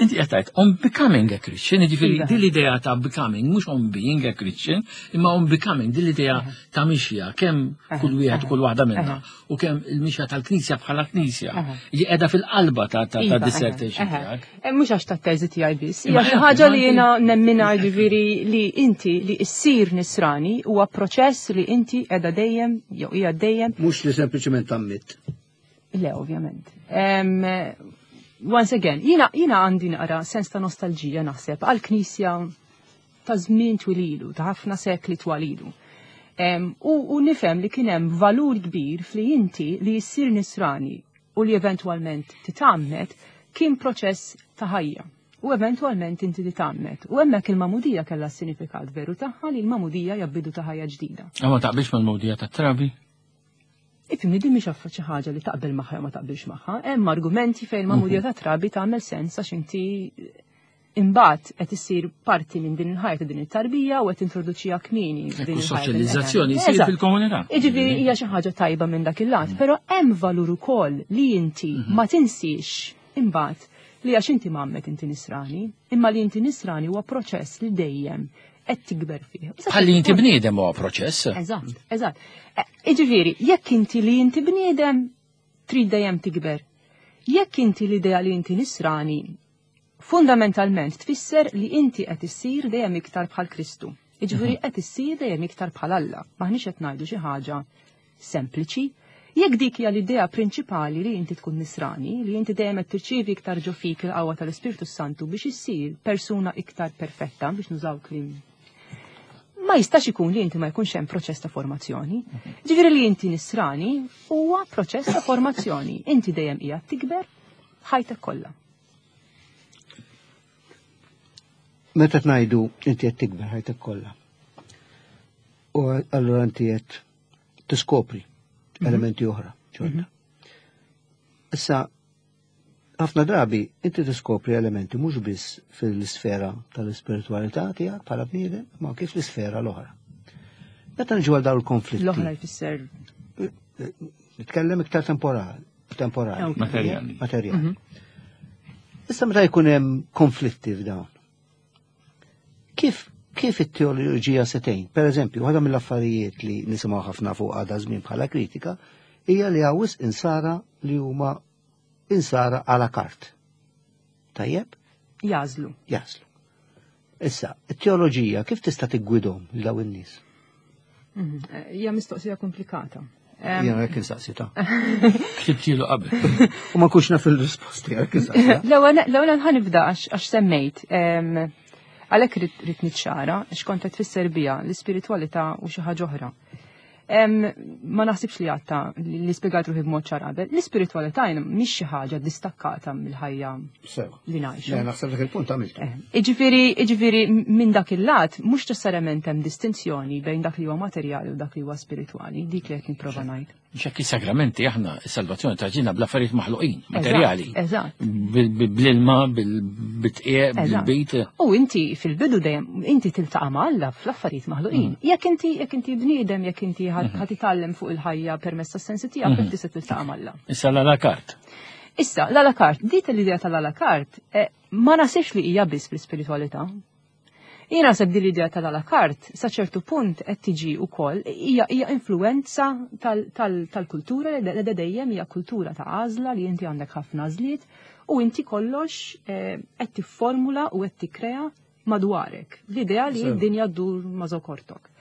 Inti qed tgħid on becoming a Christian, jiġifieri din l-idea ta' becoming mhux on being a Christian, imma on becoming din l-idea ta' mixja kemm kull wieħed u kull waħda minna u kemm il-mixja tal-Knisja bħala Knisja li qiegħda fil-qalba ta' ta' dissertation tiegħek. Mhux għax tat-teżi tiegħi biss, hija xi ħaġa li jiena nemmina ġifieri li inti li issir nisrani huwa proċess li inti qiegħda dejjem jew hija dejjem. Mhux li sempliċement tammit. Le, ovvjament. Um, once again, jina, jina għandi naqra sens ta' nostalġija naħseb għal-Knisja ta' żmien twililu, ta' ħafna sekli twalilu. Um, u, u nifhem li kien hemm valur kbir fli inti li jissir nisrani u li eventwalment titgħammed kien proċess ta' ħajja. U eventwalment inti titgħammed. U hemmhekk il-magħmudija kellha s-sinifikat veru tagħha li l-magħmudija hija bidu ta' ħajja ġdida. Ma taqbilx mal-magħmudija tat-trabi? Ifhimni din mhix affa xi ħaġa li taqbel magħha jew ma taqbilx magħha. Hemm argumenti fejn il-magħmudija ta' trabi tagħmel sens għax inti imbagħad qed issir parti minn din il-ħajja ta' din it-tarbija u qed introduċiha kmieni din il-soċjalizzazzjoni jsir fil-komunità. Jiġifieri hija xi ħaġa tajba minn dak il-lat, però hemm valur ukoll li inti ma tinsiex imbagħad li għax inti mgħammed inti nisrani, imma li inti nisrani huwa proċess li dejjem qed tikber fih. Bħalli inti bniedem huwa proċess. Eżatt, eżatt. Jiġifieri, jekk inti li inti bniedem trid dejjem tikber. Jekk inti l-idea li inti nisrani, fundamentalment tfisser li inti qed issir dejjem iktar bħal Kristu. Jiġifieri qed issir dejjem iktar bħal Alla. Maħniex qed ngħidu xi ħaġa sempliċi. Jekk dik hija l-idea prinċipali li inti tkun nisrani, li inti dejjem qed tirċievi iktar ġo fik il-qawwa tal-Ispirtu Santu biex issir persuna iktar perfetta, biex nużaw kliem. Ma jistax ikun li inti ma jkunx hemm proċess ta' formazzjoni. Ġifieri li inti nisrani huwa proċess ta' formazzjoni. Inti dejjem qiegħed tikber ħajtek kollha. Meta tgħidu inti qed tikber ħajtek kollha. U allura inti qed tiskopri elementi oħra ġodda. Issa ħafna drabi inti tiskopri elementi mhux biss fil-sfera tal-ispiritualità tiegħek bħala bniedem, ma kif l-isfera l-oħra. Meta niġu għal dawn il-konflitti. L-oħra jfisser. Nitkellem iktar temporali, temporali. Materjali. Materjali. Issa meta jkun hemm konflitti f'dawn. Kif kif it-teoloġija se tgħin? Per eżempju, waħda mill-affarijiet li nisimgħu ħafna fuq għadha żmien bħala kritika hija li hawn wisq insara li huma insara à la carte. Tajjeb? Jażlu. Jażlu. Issa, it-teoloġija kif tista' tiggwidhom lil dawn in-nies? Hija mistoqsija komplikata. Jiena hekk insaqsita. Ktibtilu qabel. U ma nkunx naf il-risposti hekk insaqsita. L-ewwel ħa nibda għax semmejt. Għalhekk ridt niċċara għax kont qed tfisser biha l-ispiritwalità u xi ħaġa oħra. Ma naħsibx li għatta li spjegat ruħi b'mod ċar qabel. L-ispiritwalità mhix xi ħaġa distakkata mill-ħajja li ngħixu. Naħseb dak il-punt għamiltu. Iġifieri, iġifieri minn dak il-lat mhux neċessarjament hemm distinzjoni bejn dak li huwa materjali u dak li huwa spiritwali, dik li qed nipprova ngħid. Ċekki sagramenti aħna is-salvazzjoni taġina bl-affarijiet maħluqin, materjali. Eżatt. Bl-ilma, bil-tqiegħ, bil-bit. U inti fil-bidu dejjem inti tiltaqa' ma' Alla fl-affarijiet maħluqin. Jekk inti jekk inti bniedem, jekk inti ħa titgħallem fuq il-ħajja permezz tas-sensi tiegħek, inti se tiltaqa' ma' Alla. Issa l-à la carte. Issa, l-à la carte, dit l-idea tal-à la carte, ma nasibx li hija biss fl-ispiritualità. Jien naħseb din l-idea tal-à la carte sa ċertu punt qed tiġi wkoll hija hija influenza tal-kultura li dejjem hija kultura ta' għażla li inti għandek ħafna għażliet u inti kollox qed tifformula u qed tikkrea madwarek. L-idea li d-dinja ddur ma' żokortok.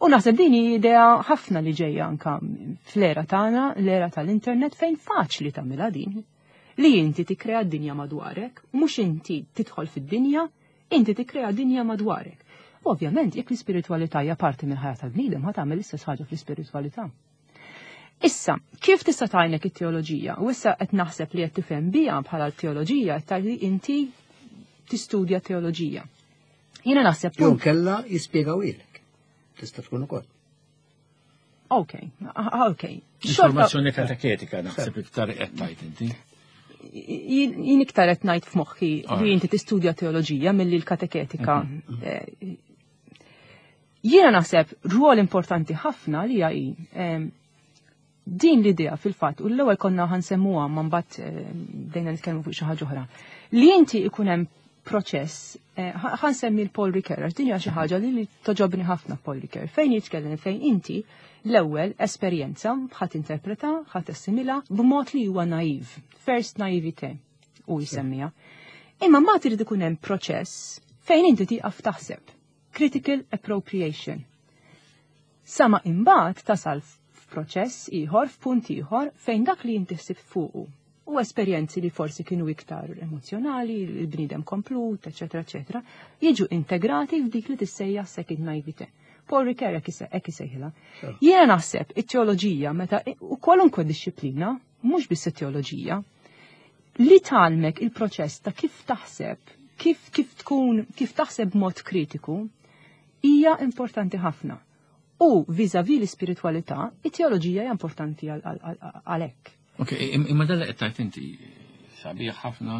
U naħseb din hi idea ħafna li ġejja anka fl-era tagħna, l-era tal-internet fejn faċli tagħmilha din. Li inti tikkrea d-dinja madwarek, mhux inti tidħol fid-dinja, inti tikkrea dinja madwarek. Ovvjament, jekk l-ispiritualità hija parti mill-ħajja tal-bniedem, ħa tagħmel l-istess ħaġa fl-ispiritualità. Issa, kif tista' tgħinek it-teoloġija? U issa qed naħseb li qed tifhem biha bħala l-teoloġija qed tgħid li inti tistudja teoloġija. Jiena naħseb Jew kella jispjegawilek. Tista' tkun ukoll. Ok, ok. Informazzjoni kateketika naħseb iktar qed tgħid inti. Jien iktar qed ngħid f'moħħi li inti tistudja teoloġija milli l-kateketika. Jiena naħseb rwol importanti ħafna li hija din l-idea fil-fatt, u l-ewwel konna ħa nsemmuha ma mbagħad bdejna nitkellmu fuq xi ħaġa oħra. Li inti ikun hemm proċess, ħa nsemmi l-Paul Ricoeur, għax din hija xi ħaġa li toġobni ħafna Paul Ricoeur, fejn jitkellem fejn inti l-ewwel esperjenza ħa tinterpreta, ħa tassimila b'mod li huwa naiv, first naivete u jsemmiha. Imma mbagħad irid ikun hemm proċess fejn inti tieqaf taħseb, critical appropriation. Sama imbagħad tasal f'proċess ieħor, f'punt ieħor fejn dak li inti ħsibt fuqu u esperjenzi li forsi kienu iktar emozjonali, il-bniedem komplut, eċetera, eċetera, jiġu integrati f'dik li tissejjaħ second naivete. Paul Ricoeur hekk isejħilha. Jiena naħseb it-teoloġija meta u kwalunkwe dixxiplina, mhux biss it-teoloġija, li tgħallmek il-proċess ta' kif taħseb, kif kif tkun, kif taħseb b'mod kritiku, hija importanti ħafna. U vis-à-vis l-ispiritualità, it-teoloġija hija importanti għalhekk. Ok, imma dalla qed tgħid inti sabiħ ħafna.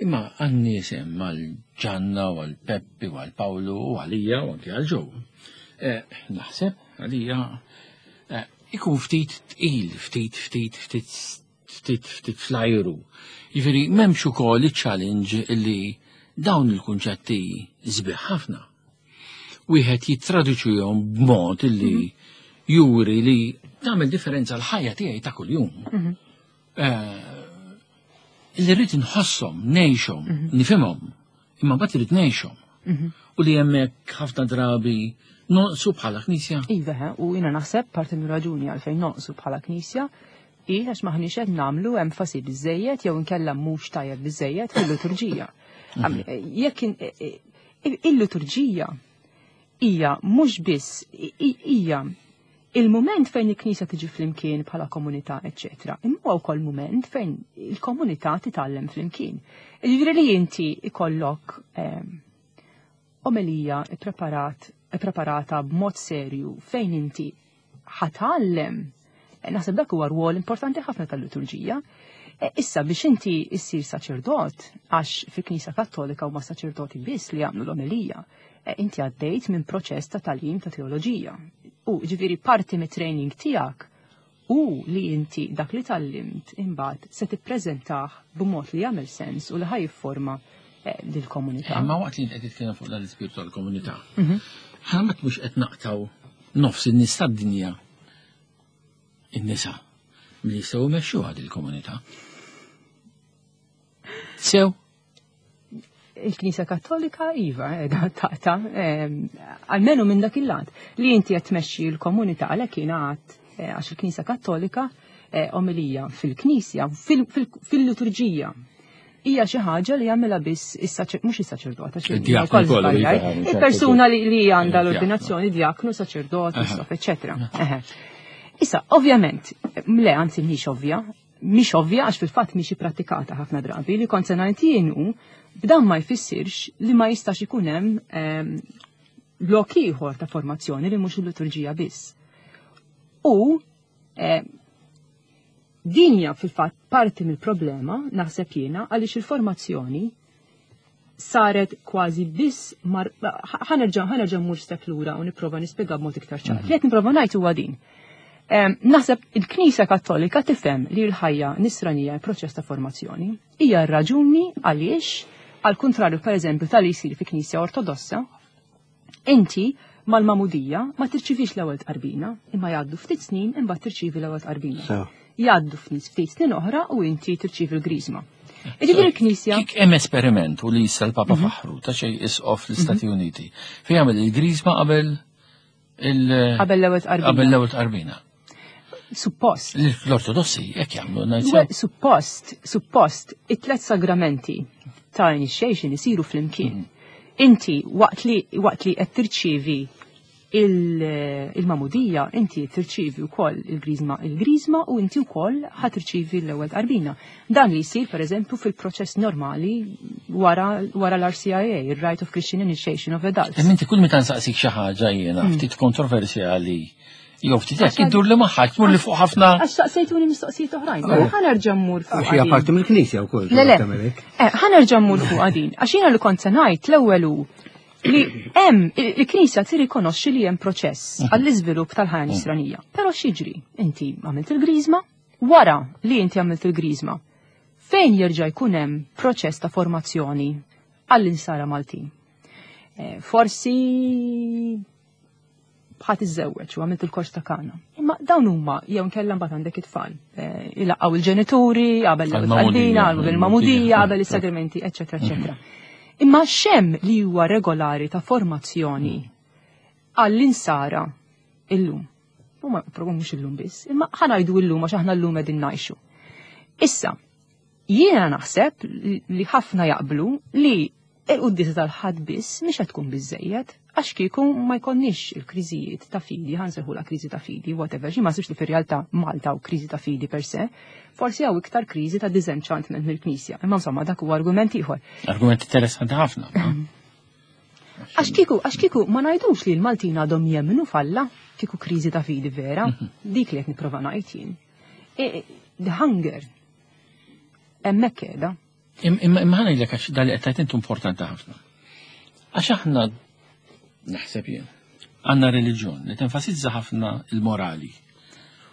Imma għan-nies hemm għal-Ġanna u għal-Peppi u għal-Pawlu u għalija u anki għal-Ġew. Naħseb għalija ikun ftit tqil, ftit, ftit, ftit, ftit, ftit flajru. Jiġifieri m'hemmx ukoll iċ-challenge illi dawn il-kunċetti sbieħ ħafna. Wieħed jittraduċihom b'mod illi juri li tagħmel differenza l-ħajja tiegħi ta' kuljum. Illi rrid inħosshom, ngħixhom, nifhimhom, imma mbagħad irid ngħixhom. U li hemmhekk ħafna drabi noqsu bħala knisja. Iva, u jiena naħseb parti mir raġuni għalfejn noqsu bħala knisja hi għax maħniex qed nagħmlu enfasi biżejjed jew inkella mhux tajjeb biżejjed fil-liturġija. Jekk il-liturġija hija mhux biss hija il-moment fejn il-Knisja tiġi flimkien bħala komunità, eċetera. Imma wkoll moment fejn il-komunità titgħallem flimkien. Jiġifieri li inti ikollok omelija ippreparat preparata b'mod serju fejn inti ħa tgħallem. Naħseb dak huwa rwol importanti ħafna tal-liturġija. Issa biex inti issir saċerdot, għax fil-Knisja Kattolika huma saċerdoti biss li jagħmlu l-omelija, inti għaddejt minn proċess ta' tagħlim ta' teoloġija. U ġifieri parti mit-training tiegħek u li inti dak li tgħallimt imbagħad se tippreżentah b'mod li jagħmel sens u li ħa jifforma lill-komunità. Imma waqt li qed titkellem fuq dan l-ispirtu tal-komunità, ħa mhux qed naqtaw nofs in-nies tad-dinja in-nisa li jistgħu jmexxu għad il-komunità. Sew? Il-Knisja Kattolika iva qiegħda taqta' almenu minn dak il-lat li inti qed tmexxi l-komunità għalhekk jiena għad Għax il-Knisja Kattolika omelija fil-Knisja, fil-liturġija, hija xi ħaġa li jagħmilha biss mhux is-saċerdot, il-persuna li għandha l-ordinazzjoni, diaknu, saċerdot, isqof, eċċetera. Issa, ovvjament, le, anzi mhix ovvja, mhix ovvja għax fil-fatt mhix ippratikata ħafna drabi li kont se ngħid jien hu b'dan ma jfissirx li ma jistax ikun hemm lok ieħor ta' formazzjoni li mhux il-liturġija biss. U din hija fil-fatt parti mill-problema, naħseb jiena, għaliex il-formazzjoni saret kważi biss ħa nerġa' ħa nerġa' mmur step lura u nipprova nispjega b'mod iktar ċar. Li qed nipprova ngħid huwa din. Naħseb il-Knisja Kattolika tifhem li l-ħajja nisranija proċess ta' formazzjoni. Hija r-raġuni għaliex, għal kontrarju pereżempju tal-li jsir fi Knisja Ortodossa, inti mal-magħmudija ma tirċivix l-ewwel tqarbina, imma jgħaddu ftit snin imbagħad tirċivi l-ewwel tqarbina. Jgħaddu ftit snin oħra u inti tirċivi l-griżma. Jiġifieri l-Knisja. Kik hemm esperiment u li issa l-Papa faħru ta' xejn isqof l-Istati Uniti. Fejn jagħmel il-griżma qabel il- Qabel l-ewwel tqarbina. Qabel l-ewwel tqarbina. Suppost. L-Ortodossi hekk jagħmlu Suppost, suppost, it-tlet sagramenti ta' initiation isiru flimkien. Inti waqt li waqt li qed tirċievi il-magħmudija, inti tirċievi wkoll il-griżma il-griżma u inti wkoll ħa tirċievi l-ewwel tqarbina. Dan li jsir pereżempju fil-proċess normali wara wara l-R C I A, il-Rite of Christian Initiation of Adults. Imma inti kull meta nsaqsik xi ħaġa jiena ftit kontroversjali jew ftit hekk iddur li magħha tmur li fuq ħafna. Għax saqsejtuni mistoqsijiet oħrajn. Ħa nerġa' mmur fuq. Għax hija parti mill-Knisja wkoll. Le, le. Ħa nerġa' mmur fuq din. Għax jiena li kont se ngħid l-ewwel hu li hemm il-Knisja tirrikonoxxi li hemm proċess għall-iżvilupp tal-ħajja nisranija. Però x'jiġri? Inti għamilt il-griżma, wara li inti għamilt il-griżma, fejn jerġa' jkun hemm proċess ta' formazzjoni għall-insara Maltin? Forsi ħa tiżżewweġ u għamilt il-kors ta' Kana. Imma dawn huma jew nkella mbagħad għandek it-tfal. Ilaqgħu il-ġenituri, qabel l-tqarbina, qabel il-magħmudija, qabel is-sagramenti, eċċetera, eċċetera. Imma x'hemm li huwa regolari ta' formazzjoni għall-insara illum? Huma propju mhux illum biss, imma ħa ngħidu illum għax aħna llum qegħdin ngħixu. Issa, jiena naħseb li ħafna jaqblu li il-quddiesa tal-Ħadd biss mhix qed tkun biżejjed, għax kieku ma jkollniex il-kriżijiet ta' fidi, ħa nsejħulha kriżi ta' fidi, whatever, xi ma li fir-realtà Malta u kriżi ta' fidi per se, forsi hawn iktar kriżi ta' disenchantment mill-Knisja. Imma insomma dak huwa argument ieħor. Argument interessanti ħafna. Għax kieku, għax kieku ma ngħidux li l-Maltin għadhom jemmnu f'Alla, kieku kriżi ta' fidi vera, dik li qed nipprova ngħid jien. The hunger hemmhekk qiegħda. Imma ħa ngħidlek għax dal li qed intu importanti ħafna. Għax aħna naħseb jien għandna reliġjon li tenfasizza ħafna il-morali.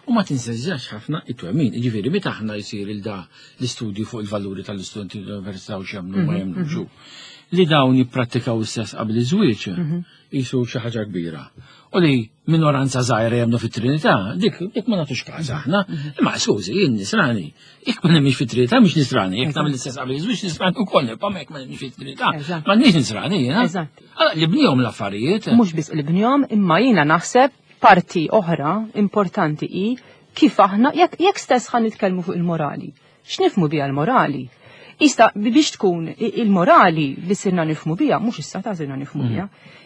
U ma tinsezzax ħafna it-twemmin. Ġifieri, meta aħna jsir il-da l-istudju fuq il-valuri tal-istudenti tal-università u x'jemmnu ma jemmnux. Li dawn jipprattikaw is-sess qabel iż-żwieġ jisu xi ħaġa kbira. U li minoranza żgħira jemmnu fit-Trinità, dik dik ma nagħtux każ aħna. Imma skużi, jien nisrani. Jekk ma nemmix fit-Trinità mhix nisrani, jekk tagħmel l-istess qabel iż-żwieġ nisrani ukoll, nibqa' jekk ma nemmix fit-Trinità. Ma nix nisrani jiena. Allora li bnihom l-affarijiet. Mhux biss li bnihom, imma jiena naħseb parti oħra importanti hi kif aħna jekk jekk stess ħa nitkellmu fuq il-morali. X'nifhmu biha l-morali? Ista biex tkun il-morali li sirna nifhmu biha, mhux issa ta' sirna nifhmu biha,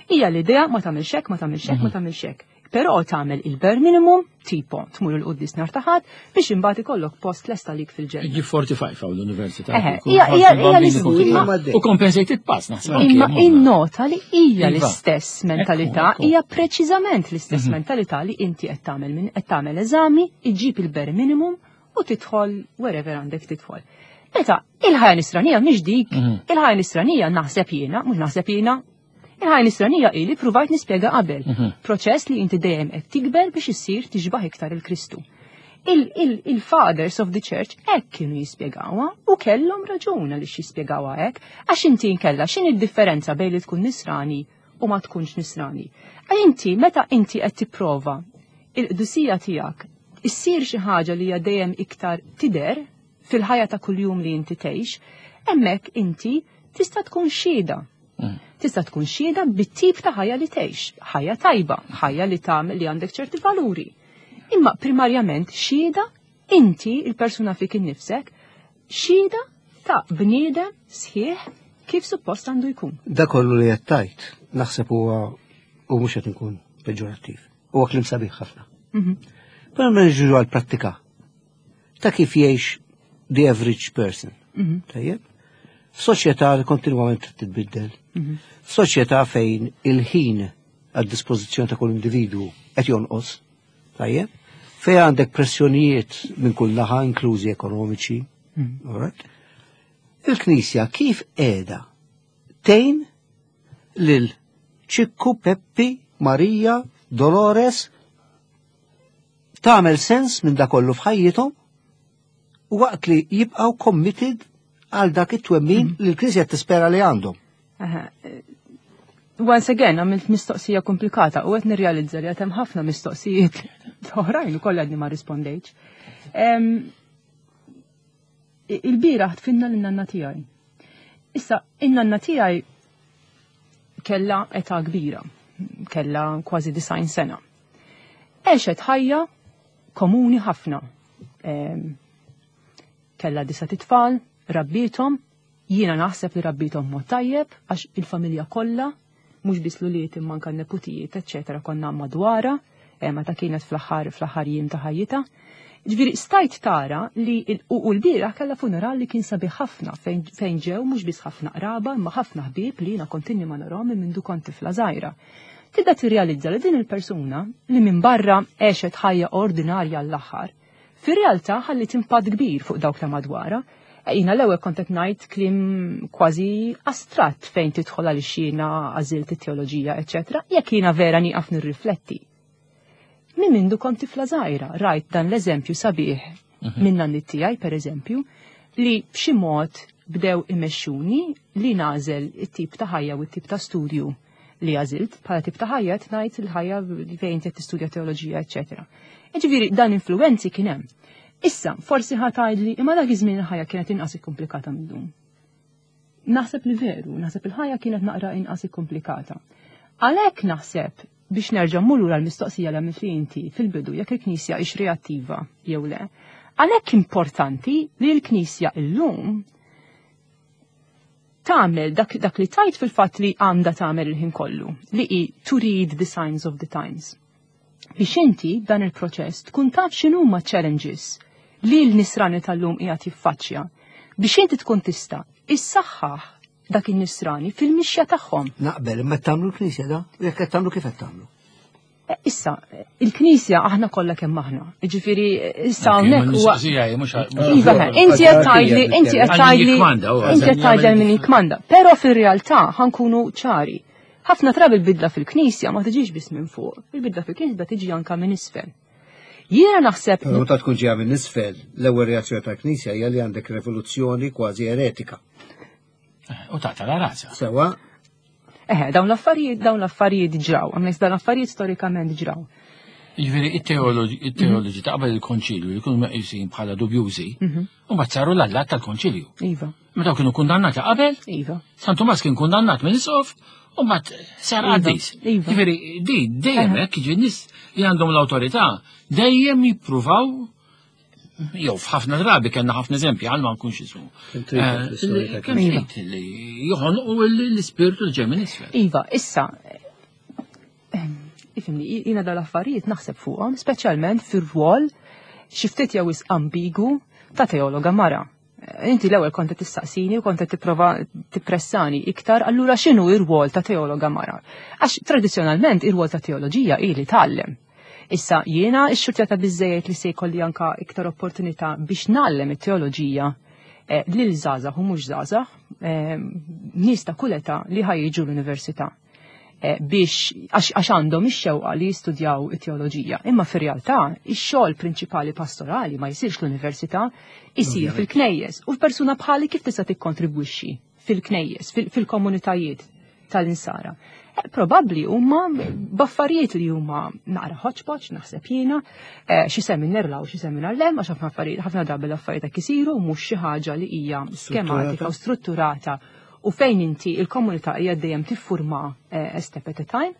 hija l-idea ma tagħmilx hekk, ma tagħmilx hekk, ma tagħmilx hekk. Però tagħmel il-bare minimum, tipo tmur il-quddies nhar ta' Ħadd biex imbagħad ikollok post lesta lik fil-ġenna. Ġi forty-five hawn l-università. Hija hija U compensated pass naħseb. Imma innota li hija l-istess mentalità, hija preċiżament l-istess mentalità li inti qed tagħmel min qed tagħmel eżami, iġġib il-bare minimum u tidħol wherever għandek tidħol. Meta il-ħajja nisranija mhix dik, il-ħajja nisranija naħseb jiena, mhux naħseb jiena, il-ħajja nisranija ili provajt nispjega qabel. Proċess li inti dejjem qed tikber biex issir tixbaħ iktar il-Kristu. Il-fathers of the church hekk kienu jispjegawha u kellhom raġun għaliex jispjegawha hekk, għax inti nkella x'inhi d-differenza bejn li tkun nisrani u ma tkunx nisrani. Inti meta inti qed tipprova il-qdusija tiegħek issir xi ħaġa li hija dejjem iktar tidher fil-ħajja ta' kuljum li inti tgħix, hemmhekk inti tista' tkun xhieda. Tista' tkun xhieda bit-tip ta' ħajja li tgħix, ħajja tajba, ħajja li tagħmel li għandek ċerti valuri. Imma primarjament xhieda inti il-persuna fik innifsek, xhieda ta' bniedem sħiħ kif suppost għandu jkun. Da kollu li qed tgħid, naħseb huwa u mhux qed inkun peġorattiv. Huwa kliem sabiħ ħafna. Mhm. Però ma niġu għal-prattika ta' kif jgħix the average person. Mhm. Tajjeb? F'soċjetà li kontinwament titbiddel. Mhm. F'soċjetà fejn il-ħin għad dispożizzjoni ta' kull individwu qed jonqos. Tajjeb? Fejn għandek pressjonijiet minn kull naħa, inklużi ekonomiċi. Mhm. Alright? Il-Knisja kif qiegħda tgħin lil Ċikku, Peppi, Marija, Dolores tagħmel sens minn da kollu f'ħajjithom u waqt li jibqgħu committed għal dak it-twemmin li l-Knisja tispera li għandhom. Aha. Once again, għamilt mistoqsija komplikata u qed nirrealizza li għad hemm ħafna mistoqsijiet oħrajn ukoll għadni ma rispondejtx. Em, Il-bieraħ dfinna l-nanna tiegħi. Issa, in-nanna tiegħi kella età kbira, kella kważi disgħin sena. Għexet ħajja komuni ħafna. Em, Kella disa' tfal, rabbithom, jiena naħseb li rabbithom mod tajjeb, għax il-familja kollha, mhux biss l-ulied imma anke n-neputijiet, eċċetera, konna madwarha, eh, meta kienet fl-aħħar fl-aħħar jiem ta' ħajjitha. Ġifieri stajt tara li il- u u l-bieraħ kellha funeral li kien sabiħ ħafna fejn fejn ġew mhux biss ħafna qraba imma ħafna ħbieb li jiena kontinni ma narahom minn mindu kont tifla żgħira. Tibda tirrealizza li din il-persuna li minn barra għexet ħajja ordinarja l-aħħar, fir-realtà ħallit impatt kbir fuq dawk ta' madwarha. E, Jiena l-ewwel kont qed ngħid kliem kważi astratt fejn tidħol għaliex jiena għażilt it-teoloġija, eċċetera, jekk jiena vera nieqaf nirrifletti. Minn mindu kont tifla żgħira, rajt dan l-eżempju sabiħ minn nanniet tiegħi pereżempju, li b'xi mod bdew imexxuni li nagħżel it-tip ta' ħajja u t-tip ta' studju li għażilt bħala tip ta' ħajja qed ngħid il-ħajja fejn qed tistudja teoloġija, eċċetera. Jiġifieri dan influenzi kien hemm. Issa, forsi ħa tgħidli imma dak iż-żmien il-ħajja kienet inqas ikkomplikata mil-lum. Naħseb li veru, naħseb il-ħajja kienet naqra inqas ikkomplikata. Għalhekk naħseb biex nerġa' mmur lura l-mistoqsija li għamilt li inti fil-bidu jekk il-Knisja hix reattiva jew le. Għalhekk importanti li l-Knisja illum tagħmel dak, dak li tajt fil-fatt li għandha tagħmel il-ħin kollu, li hi to read the signs of the times. Biex inti dan il-proċess tkun taf x'inhuma challenges li l-nisrani tal-lum qiegħed jiffaċċja biex inti tkun tista' issaħħaħ dak in-nisrani fil-mixja tagħhom. Naqbel, imma tagħmlu l-Knisja da? Jekk qed tagħmlu kif qed tagħmlu? Eh, Issa, il-Knisja aħna kollha kemm aħna. Ġifieri issa hawnhekk huwa Iva, inti qed tgħidli, inti qed tgħidli, inti qed tgħidli min jikkmanda. Però fir-realtà ħa nkunu ċari. Ħafna drabi il-bidla fil-Knisja ma tiġix biss minn fuq, il-bidla fil-Knisja tiġi anka minn isfel. Jiena naħseb Però meta tkun ġejja minn isfel, l-ewwel reazzjoni tal-Knisja hija li għandek rivoluzzjoni kważi eretika. U taqta' la rasa. Sewa, Eħe, dawn l-affarijiet, dawn l-affarijiet ġraw, għamlejs dawn l-affarijiet storikament ġraw. Jiġifieri it-teoloġi it-teoloġi ta' qabel il-konċilju li jkunu meqjusin bħala dubjużi, u mbagħad saru l-allat tal-konċilju. Iva, Meta kienu kundannati qabel, iva. San Tumas kien kundannat minn isqof, u mbagħad sar Iva, qaddis. iva. Jiġifieri di dejjem hekk jiġifieri nies li għandhom l-awtorità dejjem jippruvaw jew f'ħafna drabi kellna ħafna eżempji għal ma nkunx ismu. Kemm trid Eh, l-istorja ta' Kemm trid li joħonqu l-ispirtu li ġej minn isfel. Iva, issa, eh, ifhimni, jiena dal-affarijiet naħseb fuqhom, speċjalment fir-rwol xi ftit jew wisq ambigu ta' teologa mara. Eh, Inti l-ewwel kont qed tistaqsini u kont qed tipprova tippressani iktar, allura x'inhu ir-rwol ta' teologa mara? Għax tradizzjonalment ir-rwol ta' teoloġija hi li tgħallem. Issa jiena x-xurtjata biżejjed li se jkolli anka iktar opportunità biex ngħallem it-teoloġija eh, lil żgħażagħ u mhux żgħażagħ, eh, nies ta' kull età li ħa jiġu l-università eh, biex għax għax għandhom ix-xewqa li jistudjaw it-teoloġija. Imma fir-realtà ix-xogħol prinċipali pastorali ma jsirx l-università, isir fil-knejjes. U persuna bħali kif tista' tikkontribwixxi fil-knejjes, fil- fil-komunitajiet tal-insara. Eh, Probabbli huma b'affarijiet li huma naqra hodgepodge, naħseb jiena, eh, xi seminar 'l hawn u xi seminar 'l hemm, għax ħafna affarijiet ħafna drabi l-affarijiet hekk isiru mhux xi ħaġa li hija skematika u strutturata u fejn inti il-komunità hija dejjem tiffurma eh, a step at a time.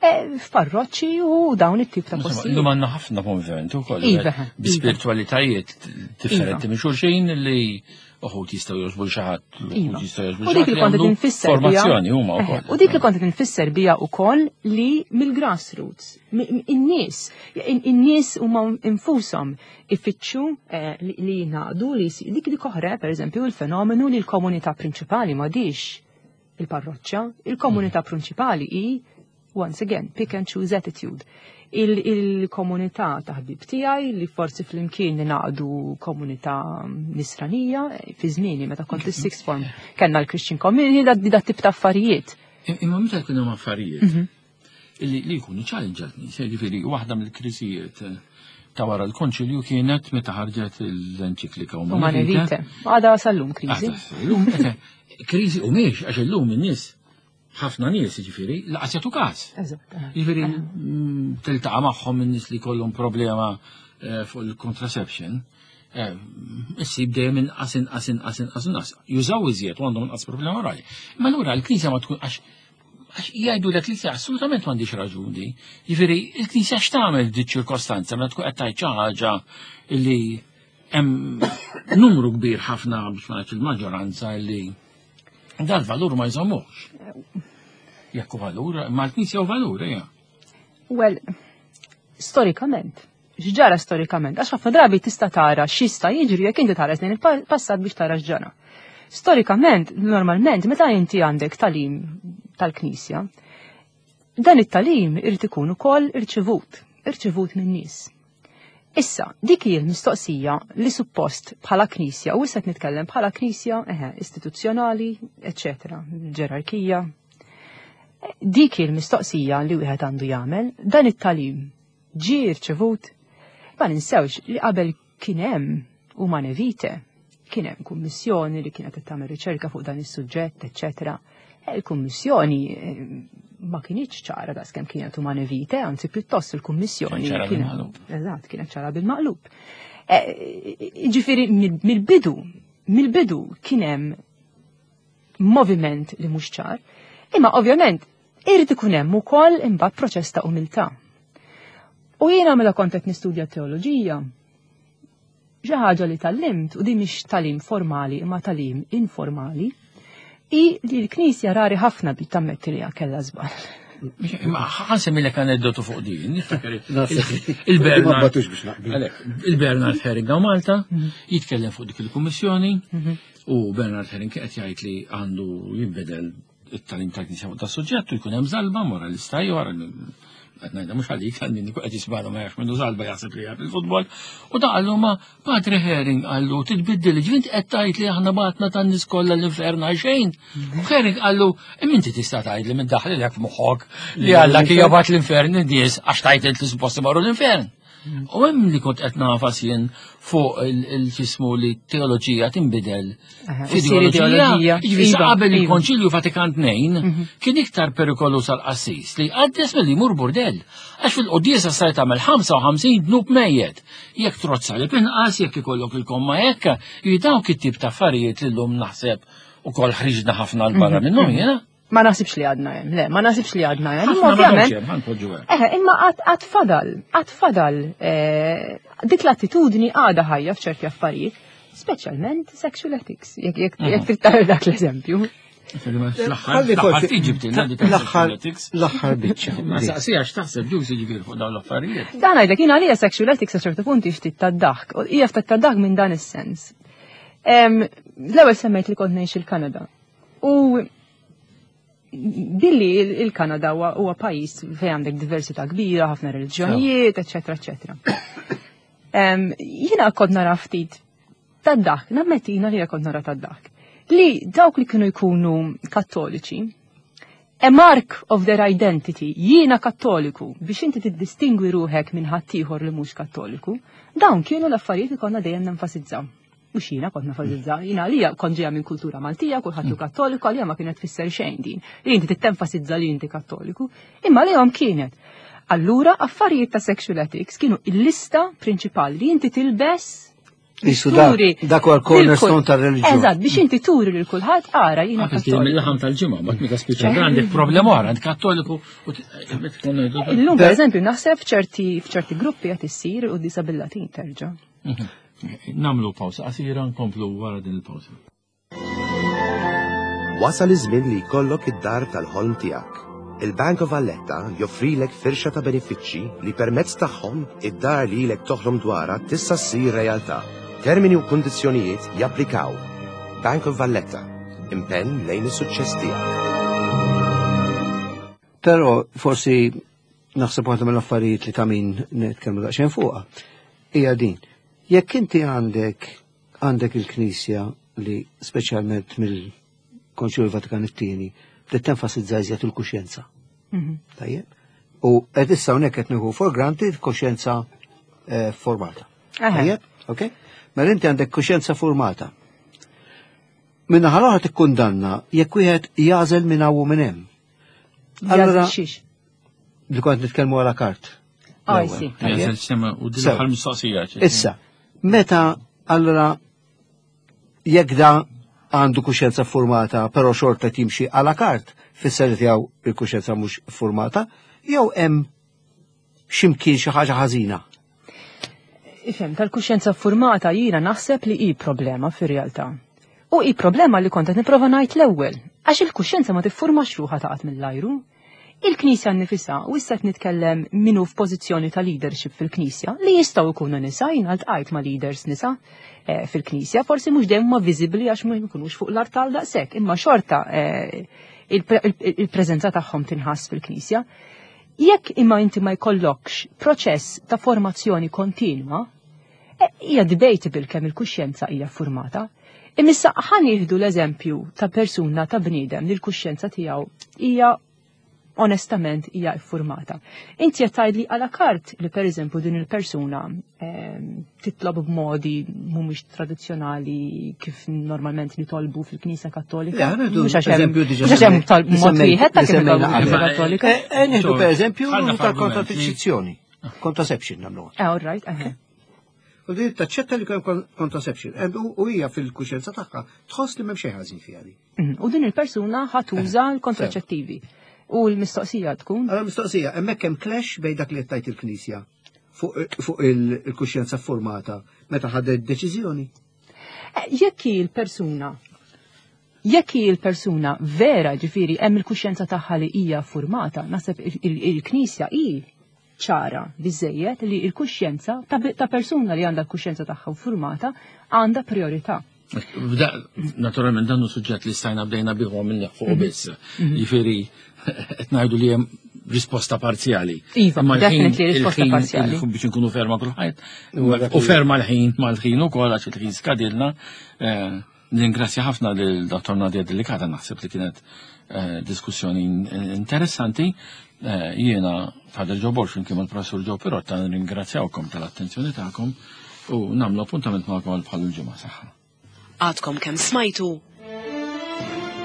eh, f'parroċċi u dawn it-tip ta' postijiet. Illum għandna ħafna movimenti wkoll Iva, bi spiritualitajiet differenti Iva. minn xulxin li uħud jistgħu jogħġbu xi ħadd, Iva. uħud jistgħu jogħġbu U dik li kont qed infisser bija- formazzjoni huma Eħe, wkoll. U dik li kont qed infisser bija wkoll li mill-grassroots, mi- mi- in-nies, in- in-nies huma infushom ifittxu eh, li li jingħaqdu li jsi- dik dik oħra, pereżempju, il-fenomenu li l-komunità prinċipali m'għadix il-parroċċa, il-komunità prinċipali hi once again, pick and choose attitude. Il- Il-komunità ta' ħbib tiegħi li forsi flimkien ningħaqdu komunità nisranija, eh, fi żmieni meta kont is-sixth form kellna l-Christian community da, da tip ta' affarijiet. Imma meta jkun hemm affarijiet Mhm. illi li jkunu challenge għal-nies, jiġifieri waħda mill-kriżijiet eh, ta' wara l-konċilju kienet meta ħarġet l-enċiklika Humanae Vitae. Għada sal-lum kriżi. Għada, illum, eh, kriżi u miex, għax illum in-nies ħafna nies jiġifieri lanqas jagħtu każ. Eżatt. eh. Jiġifieri mm, tiltaqa' magħhom in-nies li kollhom problema eh, fuq il-contraception. eh, Issib dejjem inqas inqas inqas inqas inqas. Jużaw iżjed u għandhom inqas problema orali. Ma allura l-Knisja ma tkun għax għax jgħidu l knisja assolutament m'għandix raġuni. Jiġifieri il-Knisja x'tagħmel di ċirkostanza meta tkun qed tgħid xi ħaġa li hemm numru kbir ħafna biex ma ngħidx il-maġġoranza li dal-valur ma jżommux. Jekk hu valur, ma l-Knisja hu valur, ejja. Well, storikament. X'ġara storikament? Għax ħafna drabi tista' tara x'jista' jiġri jekk inti tara lejn il-passat biex tara x'ġara. Storikament, normalment, meta inti għandek tagħlim tal-Knisja, dan it-tagħlim irid ikun ukoll irċivut, irċivut minn nies. Issa, dik hi l-mistoqsija li suppost bħala Knisja, u issa qed nitkellem bħala Knisja, eħe, istituzzjonali, eccetera, ġerarkija. Dik hi l-mistoqsija li wieħed għandu jagħmel, dan it-tagħlim ġie rċevut, ma ninsewx li qabel kien hemm Humanae Vitae, kien hemm kummissjoni li kienet qed tagħmel riċerka fuq dan is-suġġett, eccetera. E Il-kummissjoni eh, ma kinitx ċara daqs kemm kienet Humanae Vitae, anzi pjuttost il-kummissjoni Kienet ċara kienet- bil-maqlub. Eżatt, kienet ċara bil-maqlub. Eh, Ġifieri mill-bidu, mill-bidu kien hemm moviment li mhux ċar, imma ovvjament irid ikun hemm ukoll imbagħad proċess ta' umiltà. U jiena mela kont qed nistudja teoloġija, xi ħaġa li tgħallimt u din mhix tagħlim formali imma tagħlim informali, i li l-Knisja rari ħafna bi tammetti li kellha żball. Imma ħa nsemmilek aneddotu fuq din, niftakar Naħseb- il-Bernard. Ma batux biex naqbel. Għalek, il-Bernard Häring hawn Malta jitkellem fuq dik il-kummissjoni u Bernard Häring qed jgħid li għandu jinbidel it-tagħlim tal-Knisja fuq das-suġġett u jkun hemm żalba moralista ieħor qed ngħidha mhux għalik għal min ikun qed jismagħna ma jafx minnu żalba jaħseb li jaf il-futbol. U da qallu ma Padre Häring qallu titbiddel ġvint qed tgħid li aħna bgħatna tan-nies kollha l-infern għal xejn. U Häring qallu imma inti tista' tgħid li minn daħli lek f'moħħok li Alla kien jabgħat l-infern in-nies għax tgħid int li suppost imorru l-infern. U hemm li kont qed nagħfas jien fuq il-ġismu li teoloġija tinbidel Aha, u ssir ideoloġija. Jiġifieri sa Iva, qabel iva. il-Konċilju Vatikan tnejn kien iktar perikolu sal-qassis li qaddes milli jmur burdell. Għax fil-quddiesa stajt tagħmel ħamsa u ħamsin dnub mejjet. Jekk trozza li pinqas, jekk ikollok il-komma hekk, jiġifieri dawk it-tip ta' affarijiet li llum naħseb ukoll ħriġna ħafna 'l barra minnhom jiena. Ma naħsibx li għadna hemm, le, ma naħsibx li għadna hemm. Imma Ħafna ma ovvjament, domx hemm, ħa npoġġu hekk. Eħe, imma għad għad fadal, għad fadal, eh, dik l-attitudni għadha ħajja f'ċerti affarijiet, speċjalment sexual ethics, jekk jekk jekk trid tagħmel dak l-eżempju. Fl-aħħar Ħalli fl-aħħar forsi- tiġi btilna dik L-aħħar ethics. l-aħħar biċċa. Ma saqsija x'taħseb ġusi ġifieri fuq dawn l-affarijiet. Dan ngħidlek jien għalija sexual ethics sa ċertu punt ftit tad-daħk, u hija ftit tad-daħk minn dan is-sens. Em, L-ewwel semmejt li kont ngħix il-Kanada. U billi il- il-Kanada huwa huwa pajjiż fejn għandek diversità kbira, ħafna reliġjonijiet, eċetera, eċetera. Em, Jiena kont nara ftit tad-daħk, nammetti jiena li kont nara tad-daħk. Li dawk li kienu jkunu kattoliċi, a mark of their identity, jiena kattoliku, biex inti tiddistingwi ruħek minn ħaddieħor li mhux kattoliku, dawn kienu l-affarijiet li konna dejjem nenfasizzaw. Mhux jiena kont nenfasizzaw, jiena għalija kont ġejja minn kultura Maltija, kulħadd hu kattoliku, għalija ma kienet tfisser xejn din. Li inti tittenfasizza li inti kattoliku, imma lihom kienet. Allura, affarijiet ta' sexual ethics kienu il-lista prinċipali li inti tilbes Turi. Dak huwa l-cornerstone tar-reliġjon. Eżatt, biex inti turi lil kulħadd ara jiena kattoliku. Mill-laħam tal-ġimgħa, mbagħad meta spiċċa għandek problema oħra, għand kattoliku u Illum pereżempju naħseb f'ċerti f'ċerti gruppi qed issir quddiesa bil-Latin terġa'. Nagħmlu pawsa qasira nkomplu wara din il-pawsa. Wasal iż-żmien li jkollok id-dar tal-ħolm tiegħek. Il-Bank of Valletta joffrilek firxa ta' benefiċċji li permezz tagħhom id-dar li ilek toħlom dwarha tista' ssir realtà. Termini u kundizzjonijiet japplikaw. Bank of Valletta, impenn lejn is-suċċess tiegħek. Però forsi naħseb waħda mill-affarijiet li ta' min nitkellmu daqsxejn fuqha hija din. Jekk inti għandek għandek il-Knisja li speċjalment mill-Konċilju Vatikan it-tieni bdiet tenfasizza iżjed il-kuxjenza. Tajjeb? U qed issa hawnhekk qed nieħu for granted kuxjenza formata. Tajjeb? Ok? Mela inti għandek kuxjenza formata. Minna ħal-oħra tikkundanna jekk wieħed jażel minn hawn u minn hemm. Allura li kont nitkellmu għala kart. Ah, sì. U din l-aħħar mistoqsija. Issa, meta allura jekk da għandu kuxjenza formata, però xorta timxi għala kart, fisser li tiegħu il-kuxjenza mhux formata, jew hemm x'imkien xi ħaġa ħażina. Ifhem, tal-kuxjenza formata jiena naħseb li hi problema fir-realtà. U hi problema li kont qed nipprova ngħid l-ewwel, għax il-kuxjenza ma tiffurmax ruħha taqgħod mill-ajru. Il-Knisja nnifisha, u issa qed nitkellem minnu f'pożizzjoni ta' leadership fil-Knisja, li jistgħu jkunu nisa, jiena ltqajt ma' leaders nisa eh, fil-Knisja, forsi mhux dejjem ma viżibbli għax ma jkunux fuq l-artal daqshekk, imma xorta eh, il-preżenza tagħhom tinħass fil-Knisja. Jekk imma inti ma jkollokx proċess ta' formazzjoni kontinwa, hija debatable kemm il-kuxjenza hija formata. Imissa ħa nieħdu l-eżempju ta' persuna ta' bniedem li l-kuxjenza tiegħu hija onestament hija iffurmata. Inti qed tgħidli għala kart li pereżempju din il-persuna titlob b'modi mhumiex tradizzjonali kif normalment nitolbu fil-Knisja Kattolika. Mhux għax hemm talb mod wieħed ta' kif nitolbu fil-Knisja Kattolika. Nieħdu pereżempju tal-kontraċezzjoni. Contraception nagħmluha. All right, aha. U din taċċetta li hemm contraception. U hija fil-kuxjenza tagħha tħoss li m'hemm xejn ħażin fiha di. U din il-persuna ħa tuża l-kontraċettivi. U l-mistoqsija tkun? Allora mistoqsija, hemmhekk hemm clash bejn dak li qed tgħid il-Knisja fuq il-kuxjenza formata meta ħadet deċiżjoni. Jekk hi l-persuna, jekk hi l-persuna vera, ġifieri hemm il-kuxjenza tagħha li hija formata, naħseb il-Knisja hi ċara biżejjed li l-kuxjenza ta' persuna li għandha l-kuxjenza tagħha formata għandha priorità. Naturalment dan hu suġġett li stajna bdejna bih minn fuq biss. Jiġifieri qed ngħidu li hemm risposta parzjali. Iva, definitely risposta parzjali. Biex inkunu ferma kulħadd. U ferma l-ħin mal-ħin ukoll għax il-ħin skadilna. Ningrazzja ħafna lil Dottor Nadia Delicata, naħseb li kienet diskussjoni interessanti. Jiena Father Joe Borg flimkien mal-Professur Joe Pirotta nirringrazzjawkom tal-attenzjoni tagħkom u nagħmlu appuntament magħkom għal bħal il-ġimgħa saħħa. Għadkom kemm smajtu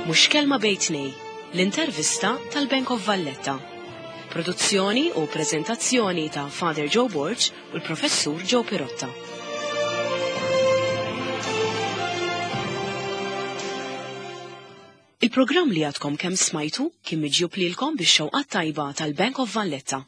Mhux Kelma Bejn Tnejn, l-intervista tal-Bank of Valletta. Produzzjoni u prezentazzjoni ta' Father Joe Borg u l-Professur Joe Pirotta. Il-programm li għadkom kemm smajtu kien miġjub lilkom bix-xewqa tajba tal-Bank of Valletta.